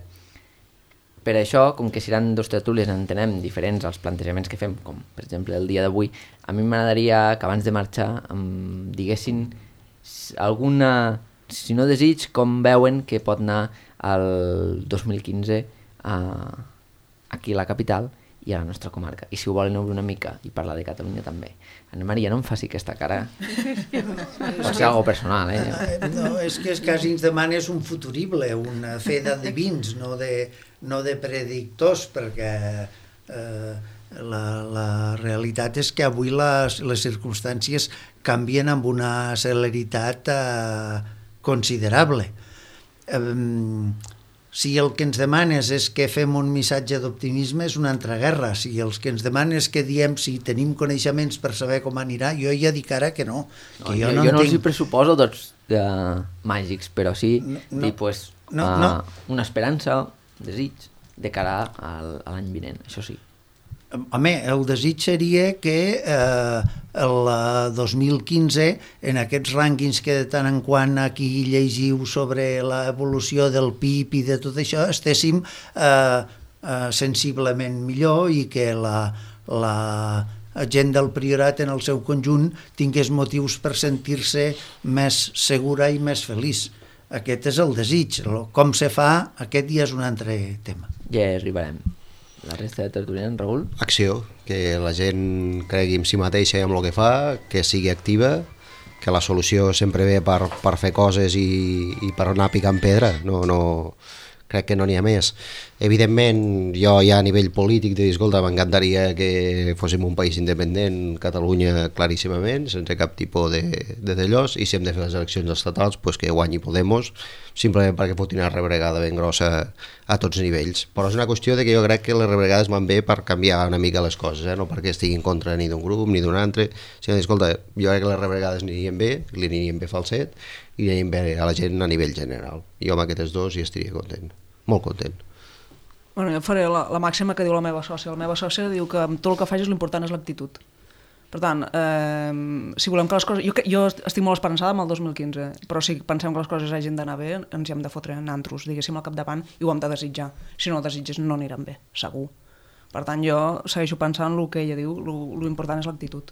Speaker 1: Per això, com que seran dos tertúlies, entenem diferents als plantejaments que fem, com per exemple el dia d'avui, a mi m'agradaria que abans de marxar em diguessin alguna, si no desig, com veuen que pot anar el dos mil quinze a, aquí a la capital i a la nostra comarca. I si ho volen obrir una mica i parlar de Catalunya també. Ana Maria, no em faci aquesta cara. Pot ser algo personal, eh?
Speaker 3: No, és que quasi ens demanes un futurible, una fe d'adivins, no de, no de predictors, perquè eh, la, la realitat és que avui les, les circumstàncies canvien amb una celeritat eh, considerable. Eh, Si el que ens demanes és que fem un missatge d'optimisme és una altra guerra. Si els que ens demanes que diem si tenim coneixements per saber com anirà, jo ja dic ara que no. Que
Speaker 1: no jo,
Speaker 3: jo no,
Speaker 1: jo no
Speaker 3: tinc...
Speaker 1: els hi pressuposo tots uh, màgics, però sí
Speaker 3: no, no,
Speaker 1: dir, pues,
Speaker 3: no,
Speaker 1: uh,
Speaker 3: no.
Speaker 1: una esperança, desig, de cara al, a l'any vinent, això sí.
Speaker 3: Home, el desig seria que eh, el dos mil quinze, en aquests rànquings que de tant en quant aquí llegiu sobre l'evolució del P I B i de tot això, estéssim eh, eh, sensiblement millor i que la, la gent del Priorat en el seu conjunt tingués motius per sentir-se més segura i més feliç. Aquest és el desig. Com se fa, aquest ja és un altre tema.
Speaker 1: Ja hi arribarem. La resta de tertulians, Raül?
Speaker 2: Acció, que la gent cregui en si mateixa i en el que fa, que sigui activa, que la solució sempre ve per, per fer coses i, i per anar picant pedra, no, no, crec que no n'hi ha més. Evidentment, jo ja a nivell polític de dir, escolta, m'encantaria que fóssim un país independent, Catalunya claríssimament, sense cap tipus de, de dellòs, i si hem de fer les eleccions estatals, pues que guanyi Podemos, simplement perquè foti una rebregada ben grossa a tots nivells. Però és una qüestió de que jo crec que les rebregades van bé per canviar una mica les coses, eh? No perquè estigui en contra ni d'un grup ni d'un altre, sinó que, escolta, jo crec que les rebregades anirien bé, li anirien bé Falset, i anirien bé a la gent a nivell general. Jo amb aquests dos hi estaria content, molt content.
Speaker 5: Bueno, jo faré la, la màxima que diu la meva sòcia. La meva sòcia diu que tot el que facis l'important és l'actitud. Per tant, eh, si volem que les coses... Jo, jo estic molt esperançada amb el dos mil quinze, però si pensem que les coses hagin d'anar bé, ens hi hem de fotre nantros, diguéssim, al capdavant, i ho hem de desitjar. Si no ho desitges, no aniran bé, segur. Per tant, jo segueixo pensant el que ella diu, l'important és l'actitud.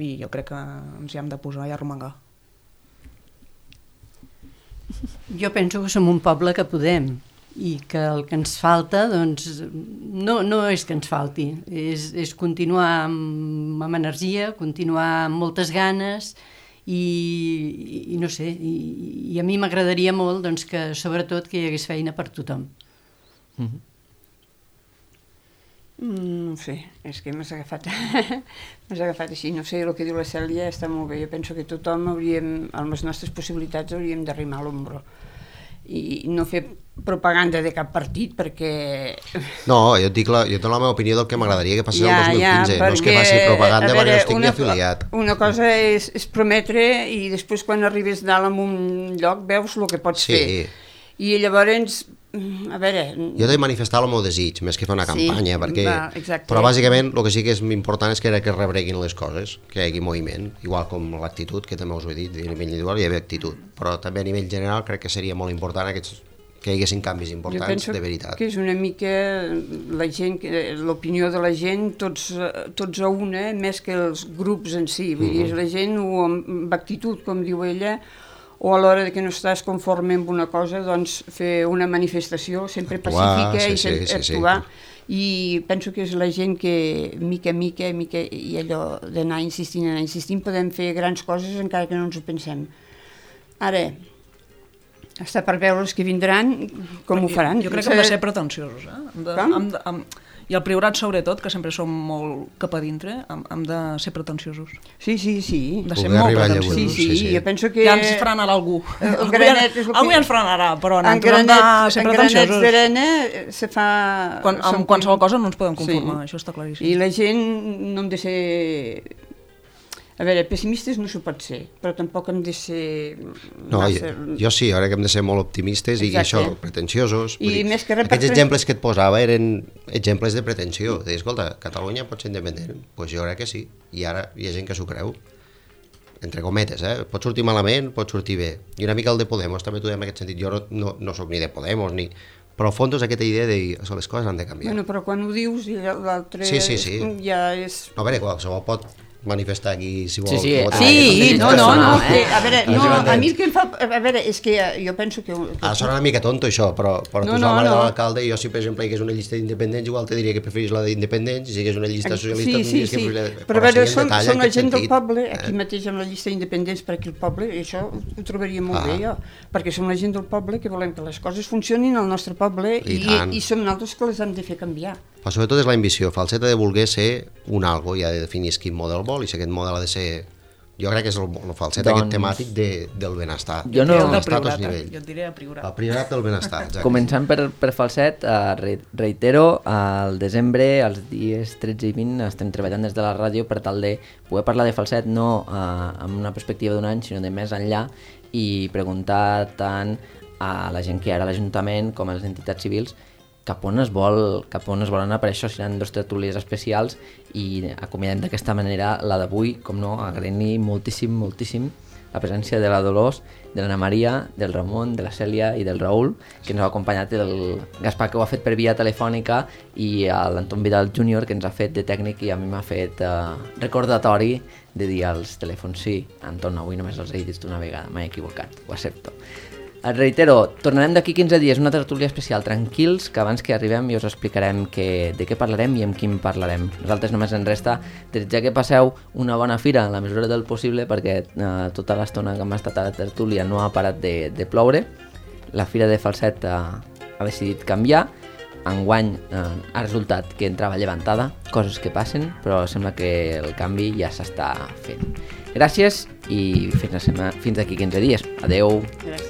Speaker 5: I jo crec que ens hi hem de posar i arromangar.
Speaker 6: Jo penso que som un poble que podem, i que el que ens falta, doncs, no, no és que ens falti, és, és continuar amb, amb energia, continuar amb moltes ganes i, i, i no sé, i, i a mi m'agradaria molt, doncs, que sobretot que hi hagués feina per tothom.
Speaker 1: Mm-hmm.
Speaker 4: Mm, no sé, és que m'has agafat, m'has agafat així, no sé, el que diu la Cèlia està molt bé, jo penso que tothom hauríem, amb les nostres possibilitats hauríem d'arrimar l'ombro i no fer propaganda de cap partit perquè...
Speaker 2: No, jo et dic la, jo dono la meva opinió del que m'agradaria que passés
Speaker 4: ja,
Speaker 2: el dos mil quinze,
Speaker 4: ja,
Speaker 2: no és que faci propaganda perquè no estic
Speaker 4: una,
Speaker 2: ni afiliat.
Speaker 4: Una cosa és, és prometre i després quan arribes dalt en un lloc veus el que pots
Speaker 2: sí.
Speaker 4: fer. I llavors, a veure...
Speaker 2: Jo he de manifestar el meu desig, més que fer una campanya,
Speaker 4: sí,
Speaker 2: perquè...
Speaker 4: va,
Speaker 2: però bàsicament el que sí que és important és que, que rebreguin les coses, que hi hagi moviment, igual com l'actitud, que també us ho he dit, a nivell individual hi ha actitud, però també a nivell general crec que seria molt important aquests, que hi haguessin canvis importants de veritat.
Speaker 4: Jo penso que és una mica la gent, l'opinió de la gent, tots, tots a una, més que els grups en si, vull dir, la gent o amb actitud, com diu ella, o a l'hora que no estàs conforme amb una cosa, doncs fer una manifestació sempre
Speaker 2: actuar,
Speaker 4: pacífica
Speaker 2: sí,
Speaker 4: i
Speaker 2: sí, sí,
Speaker 4: actuar.
Speaker 2: Sí.
Speaker 4: I penso que és la gent que mica, mica, mica, i allò d'anar insistint, anar insistint, podem fer grans coses encara que no ens ho pensem. Ara, està per veure els que vindran com ho faran.
Speaker 5: Jo crec que hem de ser pretensiosos, eh? Hem de, hem de, hem, i el Priorat sobretot, que sempre som molt cap a dintre, hem, hem de ser pretensiosos.
Speaker 4: Sí, sí, sí.
Speaker 5: De ser molt pretensiosos.
Speaker 4: Sí, sí, sí, jo penso que...
Speaker 5: Ja ens frenarà algú.
Speaker 4: El granet és el que...
Speaker 5: Algú ja ens frenarà, però en
Speaker 4: granet,
Speaker 5: hem de ser pretensiosos.
Speaker 4: En granets d'arena se fa...
Speaker 5: Quan, amb qualsevol cosa no ens podem conformar, sí. Això està claríssim.
Speaker 4: I la gent no hem de ser A veure, pessimistes no s'ho pot ser, però tampoc hem de ser
Speaker 2: No,
Speaker 4: massa...
Speaker 2: jo, jo sí, ara que hem de ser molt optimistes i
Speaker 4: Exacte.
Speaker 2: això, pretensiosos.
Speaker 4: I
Speaker 2: vull dir,
Speaker 4: més que res per
Speaker 2: aquests
Speaker 4: fer-
Speaker 2: exemples que et posava eren exemples de pretensió. De dir, escolta, Catalunya pot ser independent? Doncs pues jo crec que sí, i ara hi ha gent que s'ho creu. Entre cometes, eh? Pot sortir malament, pot sortir bé. I una mica el de Podemos, també t'ho deia en aquest sentit. Jo no, no, no sóc ni de Podemos, ni... però al fons és aquesta idea de dir, les coses han de canviar.
Speaker 4: Bueno, però quan ho dius i l'altre
Speaker 2: Sí, sí, sí.
Speaker 4: ja és...
Speaker 2: No, a veure, qualsevol pot manifestar aquí, si vol.
Speaker 1: Sí, sí,
Speaker 2: com a
Speaker 1: ah,
Speaker 2: tal.
Speaker 4: Sí, no, no, no, que, a veure,
Speaker 2: Eh?
Speaker 4: no,
Speaker 2: Bàsicament.
Speaker 4: a mi el que em fa... A veure, és que jo penso que... que
Speaker 2: Ha de sonar una mica tonto això, però, però
Speaker 4: No,
Speaker 2: tu ets
Speaker 4: no,
Speaker 2: la mare
Speaker 4: no.
Speaker 2: de l'alcalde i jo si per exemple hi hagués una llista d'independents igual te diria que preferís la d'independents i si hi hagués una llista socialista
Speaker 4: Sí,
Speaker 2: tu
Speaker 4: sí,
Speaker 2: diries que
Speaker 4: sí,
Speaker 2: preferís la...
Speaker 4: però a veure,
Speaker 2: sí, en
Speaker 4: són,
Speaker 2: detall,
Speaker 4: són
Speaker 2: en
Speaker 4: la
Speaker 2: aquest
Speaker 4: gent del
Speaker 2: sentit,
Speaker 4: poble,
Speaker 2: eh?
Speaker 4: aquí mateix amb la llista d'independents per aquí al poble, i això ho trobaria molt
Speaker 2: Ah.
Speaker 4: bé jo, perquè som la gent del poble que volem que les coses funcionin al nostre poble
Speaker 2: I
Speaker 4: i,
Speaker 2: tant.
Speaker 4: i som nosaltres que les hem de fer canviar.
Speaker 2: Però sobretot és l'ambició. Falset ha de voler ser un algo i ha de definir quin model vol i si aquest model ha de ser... Jo crec que és el, el falset
Speaker 1: Doncs-
Speaker 2: aquest temàtic de, del benestar.
Speaker 1: Jo no-
Speaker 2: del
Speaker 5: El del
Speaker 2: benestar a tots
Speaker 5: priorat, eh?
Speaker 2: nivells.
Speaker 5: Jo et diré a priorat.
Speaker 2: El priorat del benestar, exacte.
Speaker 1: Començant per, per Falset, eh, re, reitero, al desembre, els dies tretze i vint, estem treballant des de la ràdio per tal de poder parlar de Falset no eh, amb una perspectiva d'un any, sinó de més enllà, i preguntar tant a la gent que hi ha a l'Ajuntament com a les entitats civils cap on es vol, cap on es volen anar. Per això seran dos tertúlies especials i acomiadem d'aquesta manera la d'avui, com no, agraint-li moltíssim, moltíssim la presència de la Dolors, de l'Anna Maria, del Ramon, de la Cèlia i del Raül, que ens ha acompanyat, el Gaspar, que ho ha fet per via telefònica, i l'Anton Vidal júnior, que ens ha fet de tècnic i a mi m'ha fet eh, recordatori de dir als telèfons: sí, Anton, avui només els he dit una vegada, m'he equivocat, ho accepto. Et reitero, tornarem d'aquí quinze dies, una tertúlia especial, tranquils, que abans que arribem i us explicarem que, de què parlarem i amb qui parlarem. Nosaltres només ens resta desitjar que passeu una bona fira en la mesura del possible, perquè eh, tota l'estona que hem estat a la tertúlia no ha parat de, de ploure. La fira de Falset eh, ha decidit canviar. Enguany eh, ha resultat que entrava llevantada, coses que passen, però sembla que el canvi ja s'està fent. Gràcies i fins, a sema- fins d'aquí quinze dies. Adeu.
Speaker 4: Gràcies.